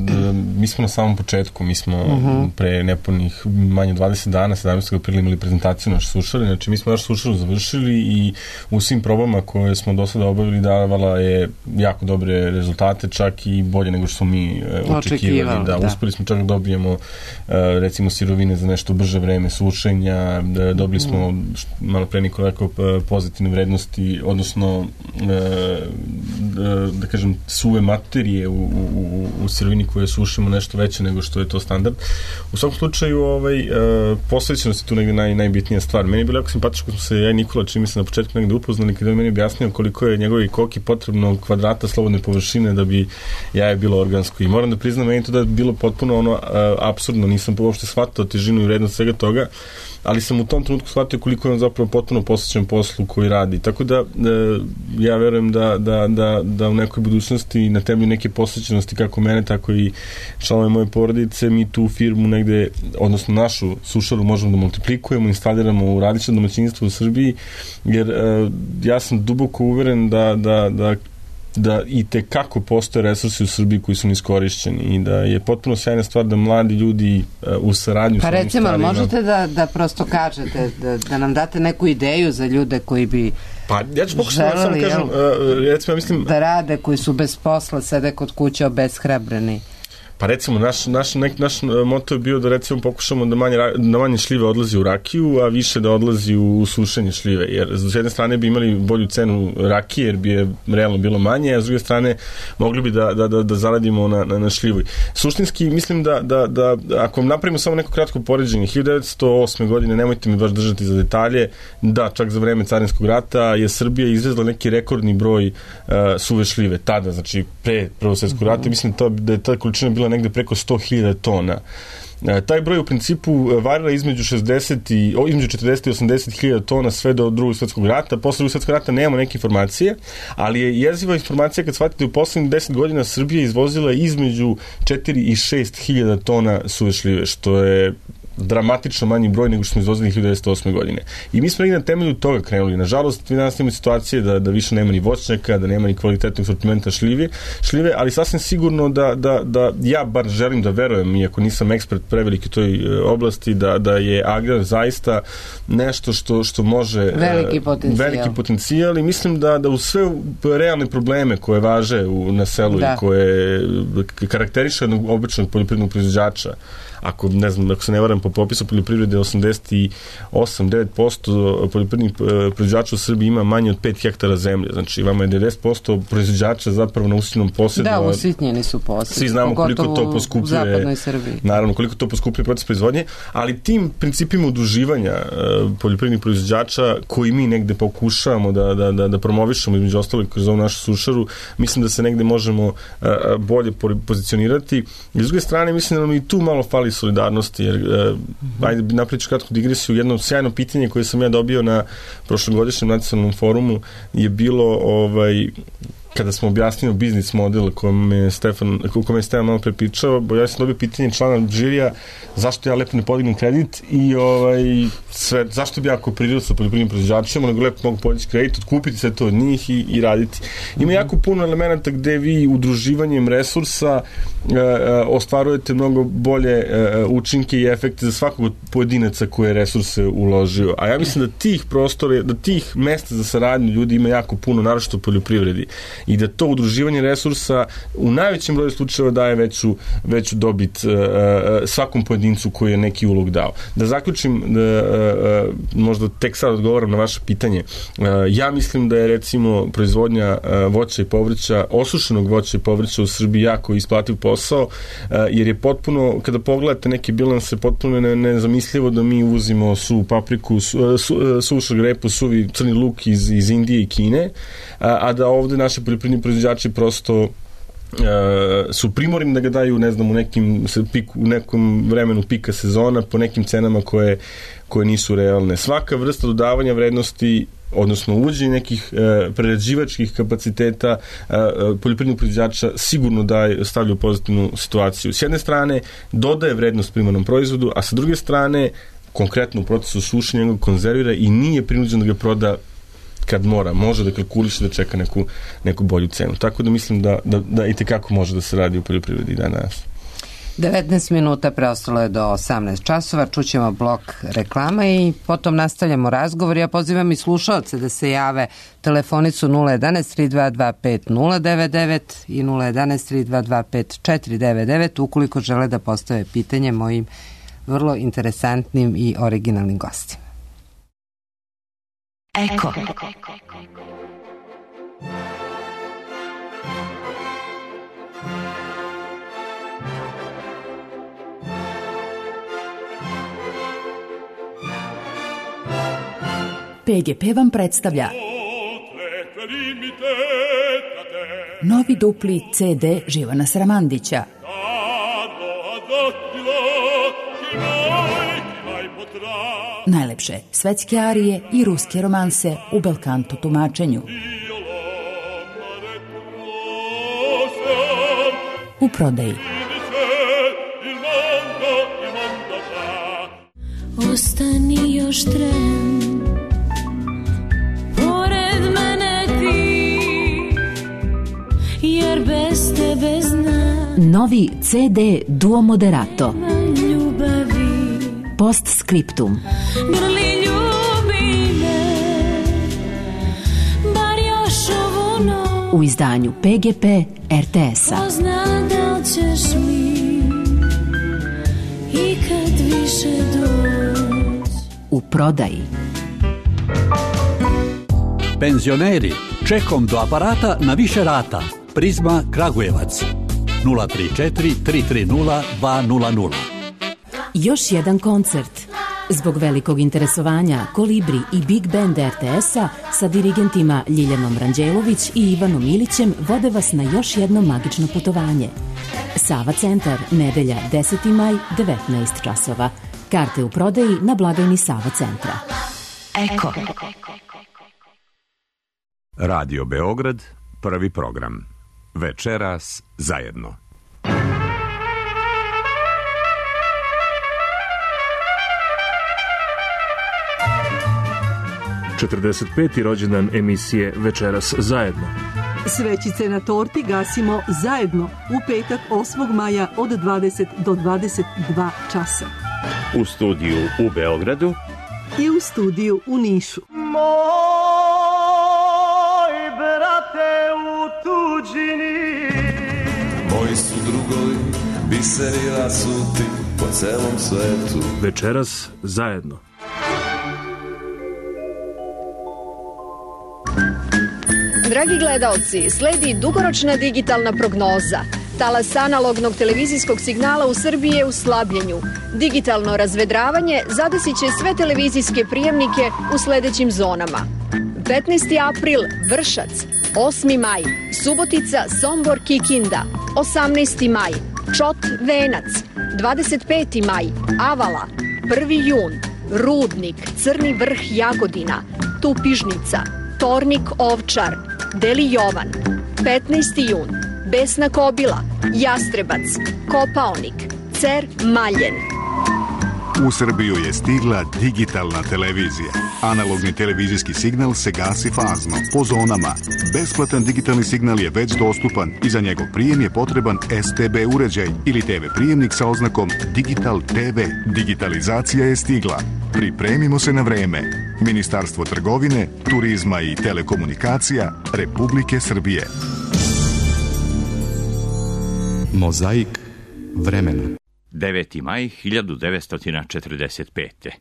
Speaker 2: mi smo na samom početku, mi smo uh-huh. pre nepunih manje dvadeset dana, sedamnaestog aprila imali prezentaciju naše sušare, znači mi smo našu sušaru završili i u svim probama koje smo do sada obavili davala je jako dobre rezultate, čak i bolje nego što smo mi uh, očekivali. Da, da. Uspeli smo čak da dobijemo uh, recimo sirovine za nešto brže vreme sušenja, da, dobili smo uh-huh. malo pre Nikola rekao pozitivne vrednosti, odnosno uh, da, da kažem suve materije u, u u sirovini koje sušimo nešto veće nego što je to standard. U svakom slučaju ovaj, uh, posvećenost je tu negde naj, najbitnija stvar. Meni je bilo jako simpatično kad smo se ja i Nikola čini se na početku negde upoznali, kada je meni objasnio koliko je njegovi koki potrebno kvadrata slobodne površine da bi jaje bilo organsko. I moram da priznam, meni to da je bilo potpuno ono uh, apsurdno, nisam uopšte shvatao težinu i vrednost svega toga, ali sam u tom trenutku shvatio koliko je on zapravo potpuno posvećen poslu koji radi. Tako da, da ja verujem da, da, da, da u nekoj budućnosti na temelju neke posvećenosti kako mene, tako i članove moje porodice, mi tu firmu negde, odnosno našu sušaru možemo da multiplikujemo, instaliramo u različitom domaćinstvu u Srbiji, jer uh, ja sam duboko uveren da, da, da da i te kako postoje resursi u Srbiji koji su neiskorišćeni i da je potpuno sjajna stvar da mladi ljudi uh, u saradnju
Speaker 3: pa
Speaker 2: sa ovim
Speaker 3: recimo,
Speaker 2: starima...
Speaker 3: možete da, da prosto kažete, da, da nam date neku ideju za ljude koji bi
Speaker 2: pa ja ću pokušati da samo kažem, uh, recimo, ja mislim...
Speaker 3: da rade, koji su bez posla, sede kod kuće obeshrabreni.
Speaker 2: Pa recimo, naš, naš, nek, naš moto je bio da recimo pokušamo da manje, da manje šljive odlazi u rakiju, a više da odlazi u, u sušenje šljive, jer s jedne strane bi imali bolju cenu rakije, jer bi je realno bilo manje, a s druge strane mogli bi da, da, da, da zaradimo na, na, na šljivu. Suštinski, mislim da, da, da ako napravimo samo neko kratko poređenje, hiljadu devetsto osme godine, nemojte mi baš držati za detalje, da, čak za vreme carinskog rata je Srbija izvezla neki rekordni broj uh, suve šljive, tada, znači pre Prvog svjetskog rata, mislim to, da je ta količina bila negde preko sto hiljada tona. E, taj broj u principu varira između šezdeset i o, između četrdeset i osamdeset hiljada tona sve do Drugog svjetskog rata. Posle Drugog svjetskog rata nemamo neke informacije, ali je jeziva informacija kad shvatite u poslednjih deset godina Srbija izvozila između četiri i šest hiljada tona suve šljive, što je dramatično manji broj nego što smo izvozili hiljadu devetsto osme godine. I mi smo negdje na temelju toga krenuli. Nažalost, vi danas imamo situacije da, da više nema ni voćnjaka, da nema ni kvalitetnog sortimenta šljive, šljive, ali sasvim sigurno da, da, da ja bar želim da verujem, iako nisam ekspert preveliki u toj e, oblasti, da, da je agrar zaista nešto što, što može...
Speaker 3: Veliki potencijal.
Speaker 2: Veliki potencijal i mislim da, da uz sve realne probleme koje važe u, na selu da. I koje karakteriše jednog običnog poljoprivrednog proizvođača, ako ne znam, ako se ne varam po popisu poljoprivrede, osamdeset osam do devet posto poljoprivrednih proizvođača u Srbiji ima manje od pet hektara zemlje. Znači, vama je devedeset posto proizvođača zapravo na usitnjenom posjedu.
Speaker 3: Da, usitnjeni su posjedi.
Speaker 2: Svi znamo koliko to poskupljuje.
Speaker 3: U zapadnoj Srbiji.
Speaker 2: Naravno, koliko to poskupljuje proces proizvodnje, ali tim principima udruživanja uh, poljoprivrednih proizvođača koji mi negde pokušavamo da, da, da, da promovišemo između ostalog kroz ovu našu sušaru, mislim da se negde možemo uh, bolje pozicionirati. I s druge strane, mislim da nam i tu malo fali solidarnosti, jer uh, mm-hmm. ajde napriču kratku digresiju, jedno sjajno pitanje koje sam ja dobio na prošlogodišnjem nacionalnom forumu je bilo ovaj kada smo objasnili biznis model o kome je Stefan, o kome je Stefan malo prepričao, bo ja sam dobio pitanje člana žirija zašto ja lepo ne podignem kredit i ovaj, sve, zašto bi ja kooperirao sa poljoprivrednim proizvođačima, nego lepo mogu podići kredit, otkupiti sve to od njih i, i raditi. Ima jako puno elementa gde vi udruživanjem resursa e, e, ostvarujete mnogo bolje e, učinke i efekte za svakog pojedinaca koje je resurse uložio. A ja mislim da tih prostora, da tih mesta za saradnju ljudi ima jako puno, naročito u poljoprivredi. I da to udruživanje resursa u najvećem broju slučajeva daje veću, veću dobit uh, svakom pojedincu koji je neki ulog dao. Da zaključim, da, uh, možda tek sad odgovaram na vaše pitanje. Uh, ja mislim da je recimo proizvodnja uh, voća i povrća, osušenog voća i povrća u Srbiji jako isplativ posao, uh, jer je potpuno, kada pogledate neke bilanse, potpuno ne, nezamislivo da mi uvozimo suvu papriku, su, su, sušu grepu, suvi crni luk iz, iz Indije i Kine, a, a da ovde naši poljoprivredni proizvođači prosto Uh, su primorni da ga daju, ne znam, u nekim piku, u nekom vremenu pika sezona po nekim cenama koje, koje nisu realne. Svaka vrsta dodavanja vrednosti, odnosno uvođenje nekih uh, prerađivačkih kapaciteta uh, poljoprivrednog proizvođača sigurno daje, stavlja u pozitivnu situaciju. S jedne strane dodaje vrednost primarnom proizvodu, a sa druge strane konkretno u procesu sušenja ga konzervira i nije prinuđen da ga proda kad mora, može da kalkuliše da čeka neku, neku bolju cenu. Tako da mislim da, da, da i tekako može da se radi u poljoprivredi danas.
Speaker 3: devetnaest minuta preostalo je do osamnaest časova, čućemo blok reklama i potom nastavljamo razgovor. Ja pozivam i slušaoce da se jave telefonicu nula jedanaest tri dva dva pet nula devet devet i nula jedanaest tri dva dva pet četiri devet devet ukoliko žele da postave pitanje mojim vrlo interesantnim i originalnim gostima.
Speaker 7: Eko. P G P vam predstavlja novi dupli C D Živana Sramandića. Najlepše svetske arije i ruske romanse u belkanto tumačenju. U prodaji.
Speaker 8: Ostani još tren, pored mene ti, jer bez tebe znam.
Speaker 7: Novi C D Duo Moderato.
Speaker 8: Ljubavi.
Speaker 7: Postscriptum.
Speaker 8: Grli ljubi me, bar još ovu noć.
Speaker 7: U izdanju P G P R T S-a.
Speaker 8: Ko zna da li ćeš mi ikad više doći.
Speaker 7: U prodaji.
Speaker 9: Penzioneri, čekom do aparata na više rata. Prizma Kragujevac. nula tri četiri tri tri nula dva nula nula.
Speaker 7: Još jedan koncert. Zbog velikog interesovanja Kolibri i Big Band R T S-a sa dirigentima Ljiljanom Ranđelović i Ivanom Ilićem vode vas na još jedno magično putovanje. Sava centar, nedelja deseti maj, devetnaest časova. Karte u prodaji na blagajni Sava centra.
Speaker 10: Eko. Radio Beograd, prvi program. Večeras zajedno.
Speaker 11: četrdeset peti rođendan emisije Večeras zajedno.
Speaker 12: Svećice na torti gasimo zajedno u petak osmog maja od dvadeset do dvadeset dva časa.
Speaker 11: U studiju u Beogradu
Speaker 12: i u studiju u Nišu.
Speaker 13: Moj brate u tuđini,
Speaker 14: moji su drugovi, biseri rasuti po celom svetu.
Speaker 11: Večeras zajedno.
Speaker 15: Dragi gledaoci, sledi dugoročna digitalna prognoza. Talas analognog televizijskog signala u Srbiji je u slabljenju. Digitalno razvedravanje zadesit će sve televizijske prijemnike u sledećim zonama. petnaesti april Vršac, osmi maj Subotica, Sombor, Kikinda, osamnaesti maj Čot, Venac, dvadeset peti maj Avala, prvi jun Rudnik, Crni Vrh, Jagodina, Tupižnica, Tornik, Ovčar, Deli Jovan, petnaesti jun, Besna Kobila, Jastrebac, Kopaonik, Cer Maljen.
Speaker 16: U Srbiju je stigla digitalna televizija. Analogni televizijski signal se gasi fazno, po zonama. Besplatan digitalni signal je već dostupan i za njegov prijem je potreban S T B uređaj ili T V prijemnik sa oznakom Digital T V. Digitalizacija je stigla. Pripremimo se na vreme. Ministarstvo trgovine, turizma i telekomunikacija Republike Srbije.
Speaker 17: Mozaik vremena.
Speaker 18: deveti maj hiljadu devetsto četrdeset pete.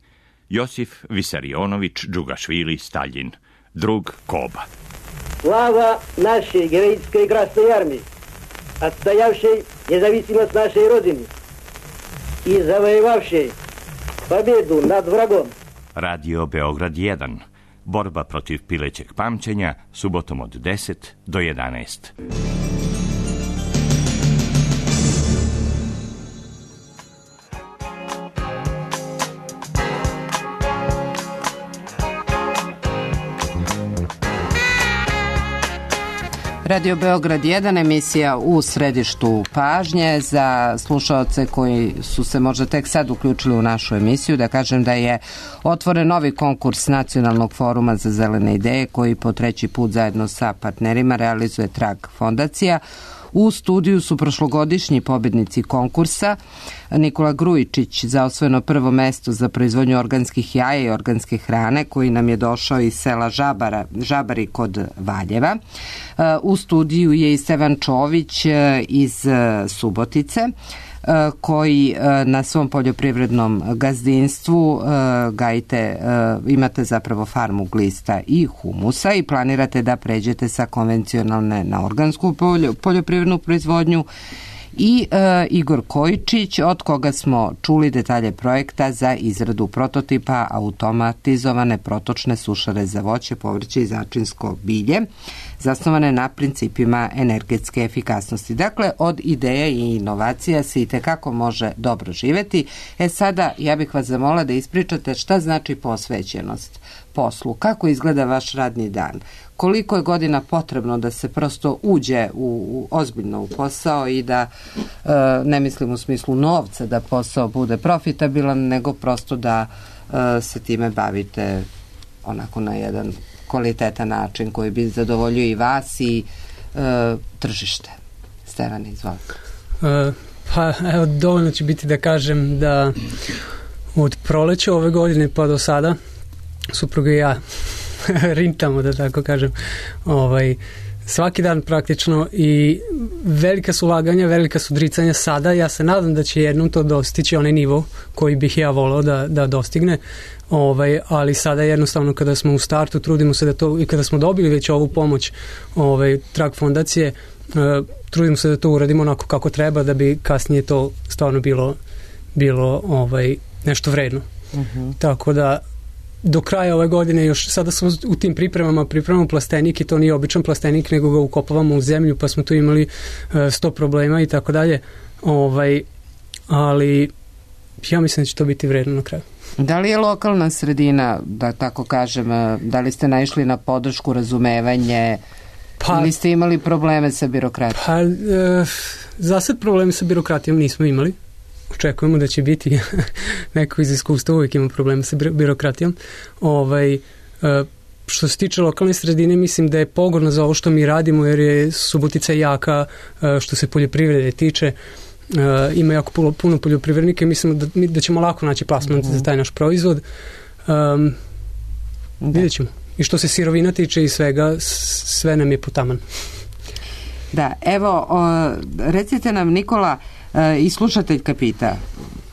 Speaker 18: Josif Visarionović Džugašvili Staljin, drug Koba.
Speaker 19: Слава нашей героической Красной Армии, отстоявшей независимость нашей Родины и завоевавшей победу над врагом.
Speaker 18: Radio Beograd jedan. Borba protiv pilećeg pamćenja, subotom od deset do jedanaest.
Speaker 3: Radio Beograd jedan, emisija u središtu pažnje. Za slušaoce koji su se možda tek sad uključili u našu emisiju, da kažem da je otvoren novi konkurs Nacionalnog foruma za zelene ideje koji po treći put zajedno sa partnerima realizuje Trag fondacija. U studiju su prošlogodišnji pobednici konkursa Nikola Grujičić za osvojeno prvo mesto za proizvodnju organskih jaja i organske hrane, koji nam je došao iz sela Žabara, Žabari kod Valjeva. U studiju je i Stevan Čović iz Subotice, koji na svom poljoprivrednom gazdinstvu gajite, imate zapravo farmu glista i humusa i planirate da pređete sa konvencionalne na organsku poljoprivrednu proizvodnju. I e, Igor Kojičić, od koga smo čuli detalje projekta za izradu prototipa automatizovane protočne sušare za voće, povrće i začinsko bilje, zasnovane na principima energetske efikasnosti. Dakle, od ideja i inovacija se i tekako može dobro živeti. E sada, ja bih vas zamolila da ispričate šta znači posvećenost poslu, kako izgleda vaš radni dan, koliko je godina potrebno da se prosto uđe u, u ozbiljno u posao i da, e, ne mislim u smislu novca da posao bude profitabilan, nego prosto da e, se time bavite onako na jedan kvalitetan način koji bi zadovoljio i vas i e, tržište. Stevane, izvolite.
Speaker 5: E, pa evo, dovoljno će biti da kažem da od proleća ove godine pa do sada supruga i ja rintamo, da tako kažem, ovaj, svaki dan praktično i velika su ulaganja, velika su dricanja sada. Ja se nadam da će jednom to dostići onaj nivo koji bih ja volao da, da dostigne, ovaj, ali sada jednostavno kada smo u startu trudimo se da to, i kada smo dobili već ovu pomoć ovaj, Trag fondacije, uh, trudimo se da to uradimo onako kako treba da bi kasnije to stvarno bilo, bilo ovaj, nešto vredno. Uh-huh. Tako da do kraja ove godine, još sada smo u tim pripremama, pripremamo plastenik i to nije običan plastenik, nego ga ukopavamo u zemlju, pa smo tu imali sto problema i tako dalje. Ovaj, ali ja mislim da će to biti vredno na kraju.
Speaker 3: Da li je lokalna sredina, da tako kažem, da li ste naišli na podršku, razumevanje, pa, ili ste imali probleme sa birokratijom? Pa,
Speaker 5: e, za sad probleme sa birokratijom nismo imali. Očekujemo da će biti neko iz iskustva, uvijek ima problema sa birokratijom. Ovaj, što se tiče lokalne sredine, mislim da je pogodno za ovo što mi radimo, jer je Subotica jaka što se poljoprivrede tiče. Ima jako puno, puno poljoprivrednika i mislim da, da ćemo lako naći plasman mm-hmm. za taj naš proizvod. Um, vidjet ćemo. I što se sirovina tiče i svega, sve nam je potaman.
Speaker 3: Da, evo, o, recite nam, Nikola, i slušateljka pita,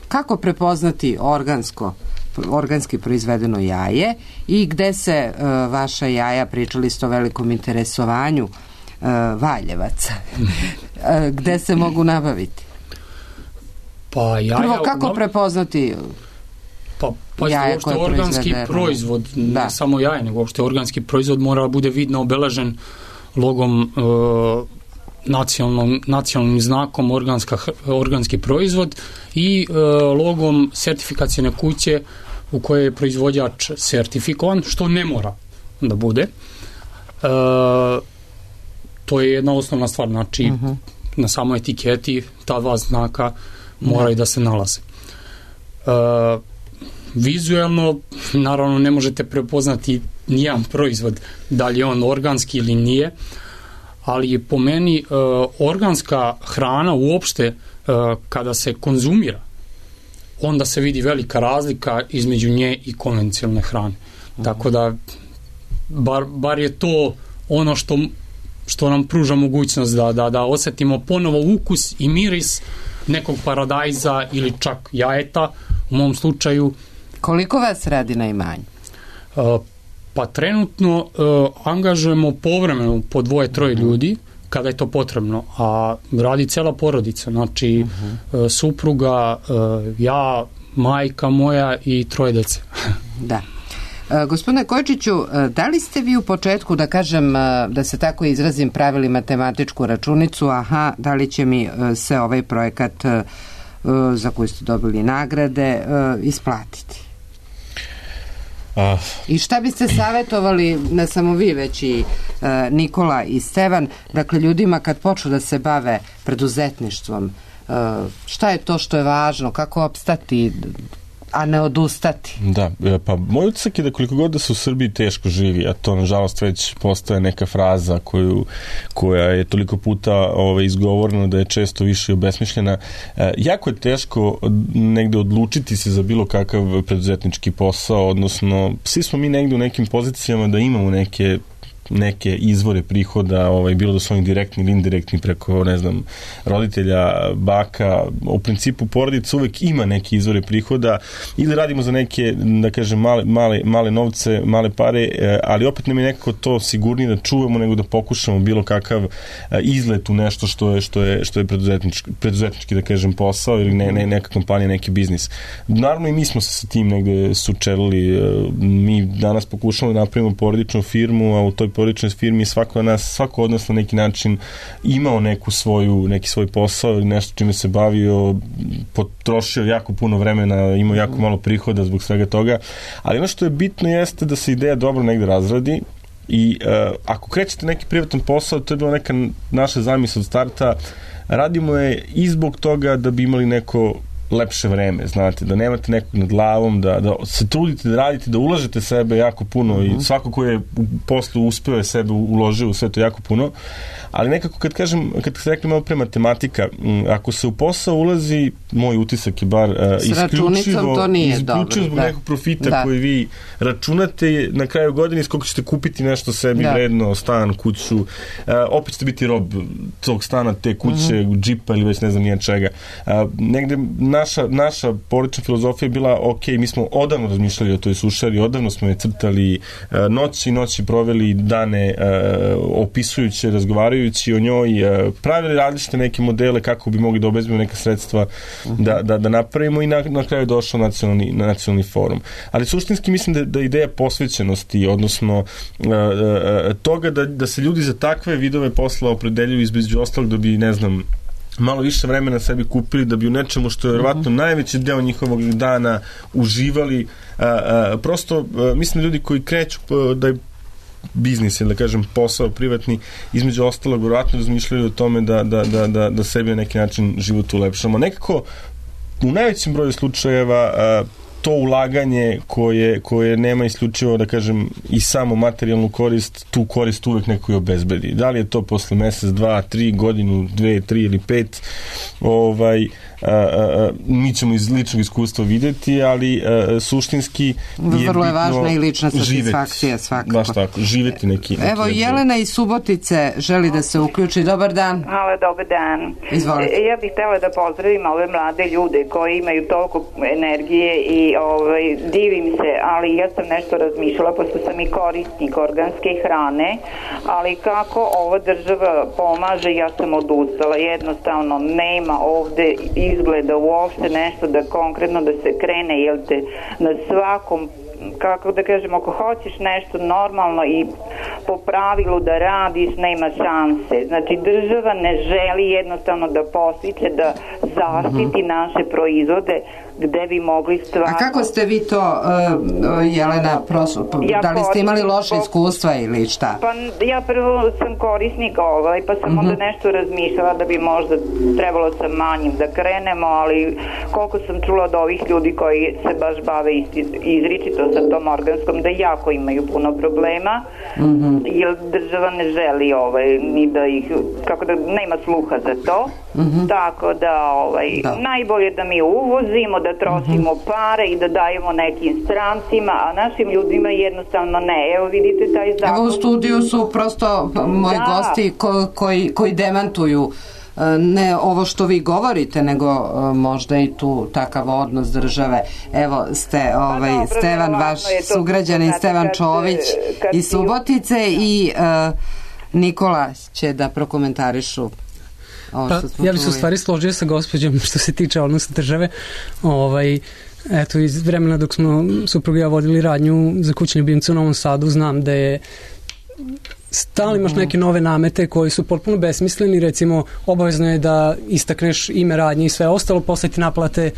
Speaker 3: kako prepoznati organsko, organski proizvedeno jaje i gde se uh, vaša jaja, pričali ste o velikom interesovanju uh, Valjevaca, uh, gde se mogu nabaviti?
Speaker 4: Pa jaja...
Speaker 3: Prvo, kako prepoznati
Speaker 4: pa, pa jaja koje je organski proizvod, ne da. samo jaje, nego uopšte organski proizvod mora da bude vidno obeležen logom uh, nacionalnom, nacionalnim znakom organska, organski proizvod i e, logom sertifikacijne kuće u kojoj je proizvođač sertifikovan, što ne mora da bude. E, to je jedna osnovna stvar, znači uh-huh. na samoj etiketi ta dva znaka moraju da, da se nalaze. Uh, vizuelno, naravno ne možete prepoznati nijedan proizvod, da li je on organski ili nije, ali po meni uh, organska hrana uopšte uh, kada se konzumira, onda se vidi velika razlika između nje i konvencionalne hrane. Uh-huh. Tako da bar, bar je to ono što, što nam pruža mogućnost da, da, da osetimo ponovo ukus i miris nekog paradajza ili čak jajeta u mom slučaju.
Speaker 3: Koliko vas radi na imanju?
Speaker 4: Uh, pa trenutno uh, angažujemo povremeno po dvoje, troje uh-huh. ljudi kada je to potrebno, a radi cela porodica, znači uh-huh. uh, supruga, uh, ja, majka moja i troje dece.
Speaker 3: Da. E, gospodine Kojčiću, da li ste vi u početku, da kažem, da se tako izrazim, pravili matematičku računicu, aha, da li će mi se ovaj projekat za koji ste dobili nagrade isplatiti?
Speaker 2: A...
Speaker 3: I šta biste savjetovali, ne samo vi, već i e, Nikola i Stevan, dakle ljudima kad počnu da se bave preduzetništvom, e, šta je to što je važno, kako opstati, a ne odustati?
Speaker 2: Da, pa moj utisak je da koliko god da se u Srbiji teško živi, a to nažalost već postaje neka fraza koju, koja je toliko puta ove, izgovorena da je često više obesmišljena, e, jako je teško negde odlučiti se za bilo kakav preduzetnički posao, odnosno svi smo mi negde u nekim pozicijama da imamo neke neke izvore prihoda, ovaj, bilo da su oni direktni ili indirektni preko, ne znam, roditelja, baka, u principu porodica uvek ima neke izvore prihoda ili radimo za neke, da kažem, male, male, male novce, male pare, ali opet nam je nekako to sigurnije da čuvamo nego da pokušamo bilo kakav izlet u nešto što je, što je, što je preduzetnički, preduzetnički, da kažem, posao ili ne, ne, neka kompanija, neki biznis. Naravno i mi smo se sa tim negde sučelili, mi danas pokušamo da napravimo porodičnu firmu, a u toj porodičnoj firmi svako od nas, svako od nas na neki način imao neku svoju, neki svoj posao ili nešto čime se bavio, potrošio jako puno vremena, imao jako malo prihoda zbog svega toga, ali ono što je bitno jeste da se ideja dobro negde razradi i uh, ako krećete neki privatan posao, to je bila neka naša zamisla od starta, radimo je i zbog toga da bi imali neko lepše vreme, znate, da nemate nekog nad glavom, da, da se trudite da radite, da ulažete sebe jako puno uh-huh. i svako ko je u poslu uspeo je sebe uložio u sve to jako puno, ali nekako kad kažem, kad se rekli malo pre matematika, ako se u posao ulazi, moj utisak je bar uh, isključivo,
Speaker 3: to nije
Speaker 2: isključivo
Speaker 3: dobro,
Speaker 2: zbog
Speaker 3: da.
Speaker 2: nekog profita
Speaker 3: da.
Speaker 2: koji vi računate na kraju godine s koliko ćete kupiti nešto sebi da. vredno, stan, kuću, uh, opet ćete biti rob tog stana, te kuće, uh-huh. džipa ili već ne znam nije čega. Uh, negde naša, naša porodična filozofija je bila, ok, mi smo odavno razmišljali o toj sušari, odavno smo je crtali, uh, noći i noći proveli dane uh, opisujući, razgovarajući o njoj, uh, pravili različite neke modele kako bi mogli da obezbedimo neka sredstva uh-huh. da, da, da napravimo i na, na kraju došao nacionalni, na nacionalni forum. Ali suštinski mislim da, da ideja posvećenosti, odnosno uh, uh, toga da, da se ljudi za takve vidove posla opredeljuju između ostalog da bi, ne znam, malo više vremena sebi kupili, da bi u nečemu što je vjerovatno najveći deo njihovog dana uživali. A, a, prosto, a, mislim da ljudi koji kreću a, da je biznis ili da kažem posao privatni, između ostalog vjerovatno razmišljaju o tome da, da, da, da, da sebi na neki način život ulepšamo. Nekako u najvećem broju slučajeva a, to ulaganje koje, koje nema isključivo, da kažem, i samo materijalnu korist, tu korist uvek neko je obezbedi. Da li je to posle mesec, dva, tri, godinu, dve, tri ili pet, ovaj, a, a, mi ćemo iz ličnog iskustva videti, ali a, suštinski je
Speaker 3: vrlo je važna i lična
Speaker 2: satisfakcija
Speaker 3: živeti, svakako.
Speaker 2: Baš tako, živeti neki... neki
Speaker 3: Evo, Jelena iz Subotice želi da se uključi. Dobar dan.
Speaker 20: Hvala, dobar dan.
Speaker 3: Izvolite.
Speaker 20: Ja bih htjela da pozdravim ove mlade ljude koji imaju toliko energije i ovaj, divim se, ali ja sam nešto razmišljala, pošto sam i korisnik organske hrane, ali kako ova država pomaže, ja sam odustala. Jednostavno, nema ovde izgleda uopšte nešto da konkretno da se krene, jer te na svakom, kako da kažem, ako hoćeš nešto normalno i po pravilu da radiš, nema šanse. Znači država ne želi jednostavno da postiče, da zaštiti naše proizvode gde bi mogli stvarno...
Speaker 3: A kako ste vi to, uh, Jelena, prosu,
Speaker 20: ja
Speaker 3: da li ste imali loše iskustva ili šta?
Speaker 20: Pa ja prvo sam korisnik ovaj, pa sam uh-huh. onda nešto razmišljala da bi možda trebalo sa manjim da krenemo, ali koliko sam čula od ovih ljudi koji se baš bave izričito sa tom organskom, da jako imaju puno problema, uh-huh. jer država ne želi ovaj, ni da ih, kako da, nema sluha za to, uh-huh. tako da, ovaj, da najbolje da mi uvozimo, da trošimo uh-huh. pare i da dajemo nekim strancima, a našim ljudima jednostavno ne. Evo vidite taj zakon.
Speaker 3: Evo u studiju su prosto moji da. gosti ko, koji, koji demantuju ne ovo što vi govorite, nego možda i tu takav odnos države. Evo ste, ovaj, pa dobro, Stevan, vaš sugrađanin Stevan Čović iz Subotice i uh, Nikola će da prokomentarišu.
Speaker 5: Pa, ja bih se u stvari složio sa gospođom što se tiče odnosa države. Ovaj, eto, iz vremena dok smo supruga i ja vodili radnju za kućne ljubimce u Novom Sadu, znam da je stalno imaš neke nove namete koji su potpuno besmisleni, recimo obavezno je da istakneš ime radnje i sve ostalo, posle ti naplate e,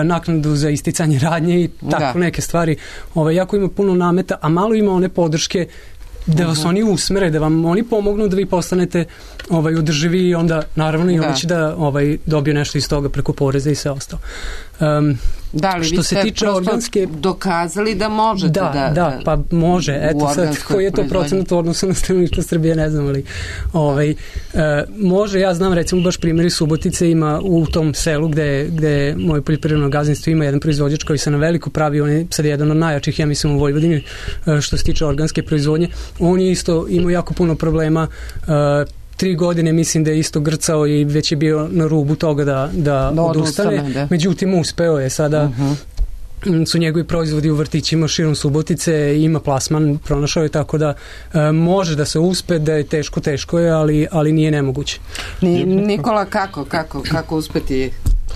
Speaker 5: naknadu za isticanje radnje i tako da. neke stvari. Ovaj, jako ima puno nameta, a malo ima one podrške da vas uh-huh. oni usmere, da vam oni pomognu da vi postanete ovaj, održivi i onda naravno i da. oni će da ovaj, dobiju nešto iz toga preko poreza i sve ostalo. Um,
Speaker 3: da, li što vi ste se tiče organske dokazali da možete
Speaker 5: da,
Speaker 3: da,
Speaker 5: da, da pa može, eto sad koji je to procenat u odnosu na stanovništvo Srbije, ne znam, ali ovaj, uh, može, ja znam recimo baš primjeri Subotice, ima u tom selu gde, gde moje poljoprivredno gazdinstvo ima jedan proizvođač koji se na veliko pravi, on je sad jedan od najjačih, ja mislim, u Vojvodini uh, što se tiče organske proizvodnje, on je isto imao jako puno problema, uh, tri godine mislim da je isto grcao i već je bio na rubu toga da, da, da odustane, da. Međutim uspeo je sada, uh-huh. su njegovi proizvodi u vrtićima širom Subotice, ima plasman, pronašao je, tako da e, može da se uspe, da je teško, teško je, ali, ali nije nemoguće.
Speaker 3: Ni, Nikola, kako, kako, kako uspeti?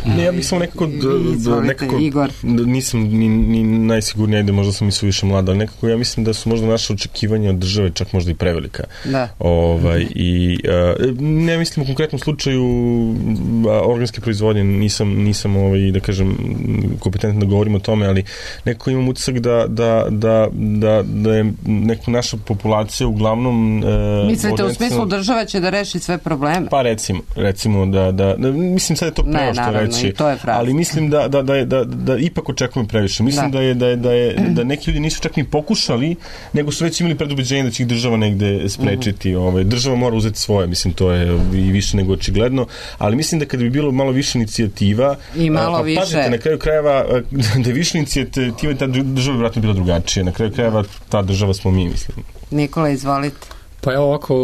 Speaker 2: Ne, ja bih samo nekako, da, nekako
Speaker 3: Igor.
Speaker 2: Nisam ni, ni najsigurniji, ajde, možda sam i suviše mlada, ali nekako ja mislim da su možda naše očekivanja od države čak možda i prevelika.
Speaker 3: Da.
Speaker 2: Ovaj, i uh, ne mislim u konkretnom slučaju organske proizvodnje, nisam, nisam ovaj, da kažem, kompetentan da govorim o tome, ali nekako imam utisak da, da, da, da, da je nekako naša populacija uglavnom... Uh,
Speaker 3: Mislite u smislu država će da reši sve probleme?
Speaker 2: Pa recimo, recimo da, da, da mislim sad je to preo što reći, ali mislim da, da, da, da, da ipak očekujem previše. Mislim da, da, je, da, je, da, je, da neki ljudi nisu čak ni pokušali, nego su već imali predubeđenje da će ih država negde sprečiti. Uh-huh. Ovaj, država mora uzeti svoje, mislim, to je i više nego očigledno, ali mislim da kada bi bilo malo više inicijativa,
Speaker 3: i malo a, više.
Speaker 2: Pazite, na kraju krajeva, da je više inicijativa, ta država bi vratno bila drugačija. Na kraju krajeva ta država smo mi, mislim.
Speaker 3: Nikola, izvolite.
Speaker 4: Pa evo ovako,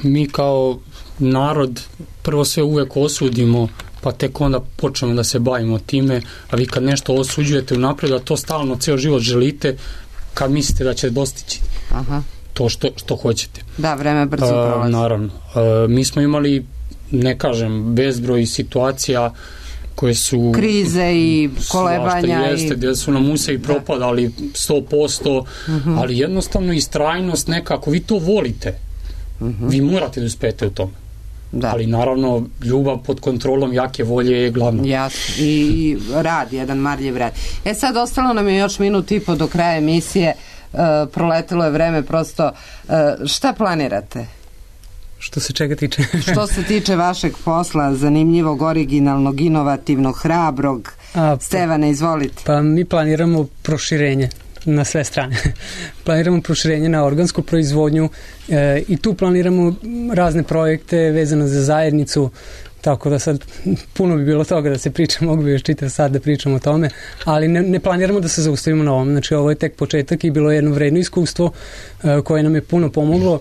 Speaker 4: mi kao narod prvo sve uvek osudimo, pa tek onda počnemo da se bavimo time, a vi kad nešto osuđujete unaprijed, a to stalno ceo život želite, kad mislite da će dostići
Speaker 3: Aha.
Speaker 4: to što, što hoćete.
Speaker 3: Da, vreme brzo prolazi.
Speaker 4: Naravno. A, mi smo imali, ne kažem, bezbroj situacija koje su...
Speaker 3: Krize i kolebanja.
Speaker 4: Svašta jeste, i... gdje su nam use i propadali sto posto, uh-huh. ali jednostavno istrajnost nekako, vi to volite. Uh-huh. Vi morate da uspete u tome. Da. Ali naravno ljubav pod kontrolom jake volje je glavno.
Speaker 3: Jasno. I, i rad, jedan marljiv rad. E sad ostalo nam je još minut i po do kraja emisije, uh, proletelo je vreme prosto. Uh, šta planirate?
Speaker 5: Što se čega tiče?
Speaker 3: Što se tiče vašeg posla, zanimljivog, originalnog, inovativnog, hrabrog, A, pa, Stevane, izvolite.
Speaker 5: Pa mi planiramo proširenje na sve strane. Planiramo proširenje na organsku proizvodnju e, i tu planiramo razne projekte vezano za zajednicu, tako da sad puno bi bilo toga da se priča, mogu bi još čitav sad da pričamo o tome, ali ne, ne planiramo da se zaustavimo na ovom. Znači ovo je tek početak i bilo je jedno vredno iskustvo e, koje nam je puno pomoglo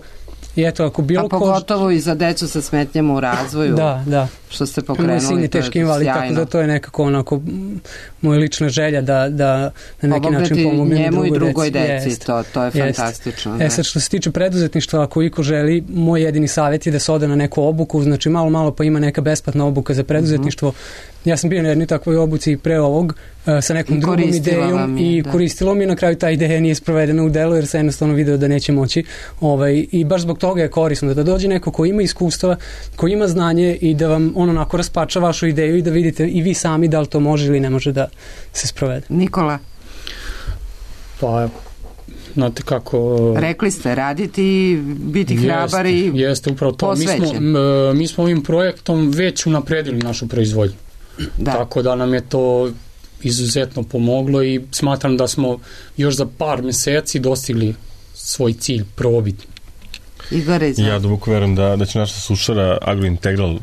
Speaker 5: I eto, ako bilo
Speaker 3: a pogotovo ko... i za decu sa smetnjama u razvoju.
Speaker 5: Da, da.
Speaker 3: Što ste pokrenuli.
Speaker 5: Moj sin je teški invalid, tako da to je nekako onako moja lična želja da, da na neki način pomognem
Speaker 3: njemu
Speaker 5: i
Speaker 3: drugoj
Speaker 5: deci.
Speaker 3: deci, to, to je
Speaker 5: Jest.
Speaker 3: fantastično.
Speaker 5: E sad, što se tiče preduzetništva, ako iko želi, moj jedini savjet je da se ode na neku obuku, znači malo, malo pa ima neka besplatna obuka za preduzetništvo. Mm-hmm. Ja sam bio na jednoj takvoj obuci pre ovog, sa nekom
Speaker 3: I
Speaker 5: drugom idejom
Speaker 3: je,
Speaker 5: i
Speaker 3: da.
Speaker 5: koristilo mi, na kraju ta ideja nije sprovedena u delu jer se jednostavno video da neće moći. Ovaj, I baš zbog toga je korisno da dođe neko ko ima iskustva, ko ima znanje i da vam on onako raspača vašu ideju i da vidite i vi sami da li to može ili ne može da se sprovede.
Speaker 3: Nikola?
Speaker 4: Pa, znate kako...
Speaker 3: Rekli ste, raditi, biti hrabar i posvećen.
Speaker 4: Jeste, upravo to. Mi smo, mi smo ovim projektom već unapredili našu proizvodnju. Da. Tako da nam je to izuzetno pomoglo i smatram da smo još za par meseci dostigli svoj cilj probiti.
Speaker 3: Igore, izvati.
Speaker 2: Ja duboko verujem da, da će naša sušara Agrointegral, uh,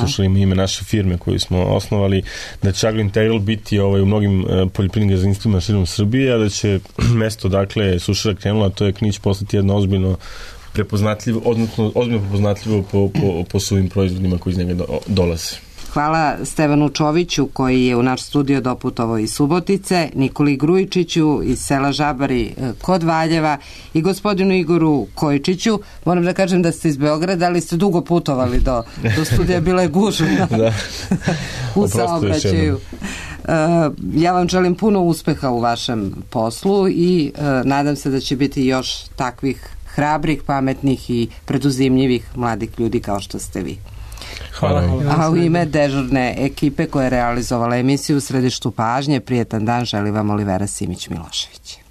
Speaker 2: sušara ima ime naše firme koju smo osnovali, da će Agrointegral biti ovaj, u mnogim uh, poljoprivrednim gazdinstvima širom Srbije, a da će mesto, dakle, sušara krenula, to je Knić, postati jedno ozbiljno prepoznatljivo, odnosno ozbiljno prepoznatljivo po, po, po svojim proizvodima koji iz njega do, dolaze.
Speaker 3: Hvala Stevanu Čoviću koji je u naš studio doputovao iz Subotice, Nikoli Grujičiću iz sela Žabari kod Valjeva i gospodinu Igoru Kojičiću. Moram da kažem da ste iz Beograda, ali ste dugo putovali do, do studija, bila je gužva
Speaker 2: da.
Speaker 3: u saobraćaju. Ja vam želim puno uspeha u vašem poslu i nadam se da će biti još takvih hrabrih, pametnih i preduzimljivih mladih ljudi kao što ste vi.
Speaker 5: Hvala.
Speaker 3: A u ime dežurne ekipe koja je realizovala emisiju u središtu pažnje, prijetan dan želi vam Olivera Simić-Milošević.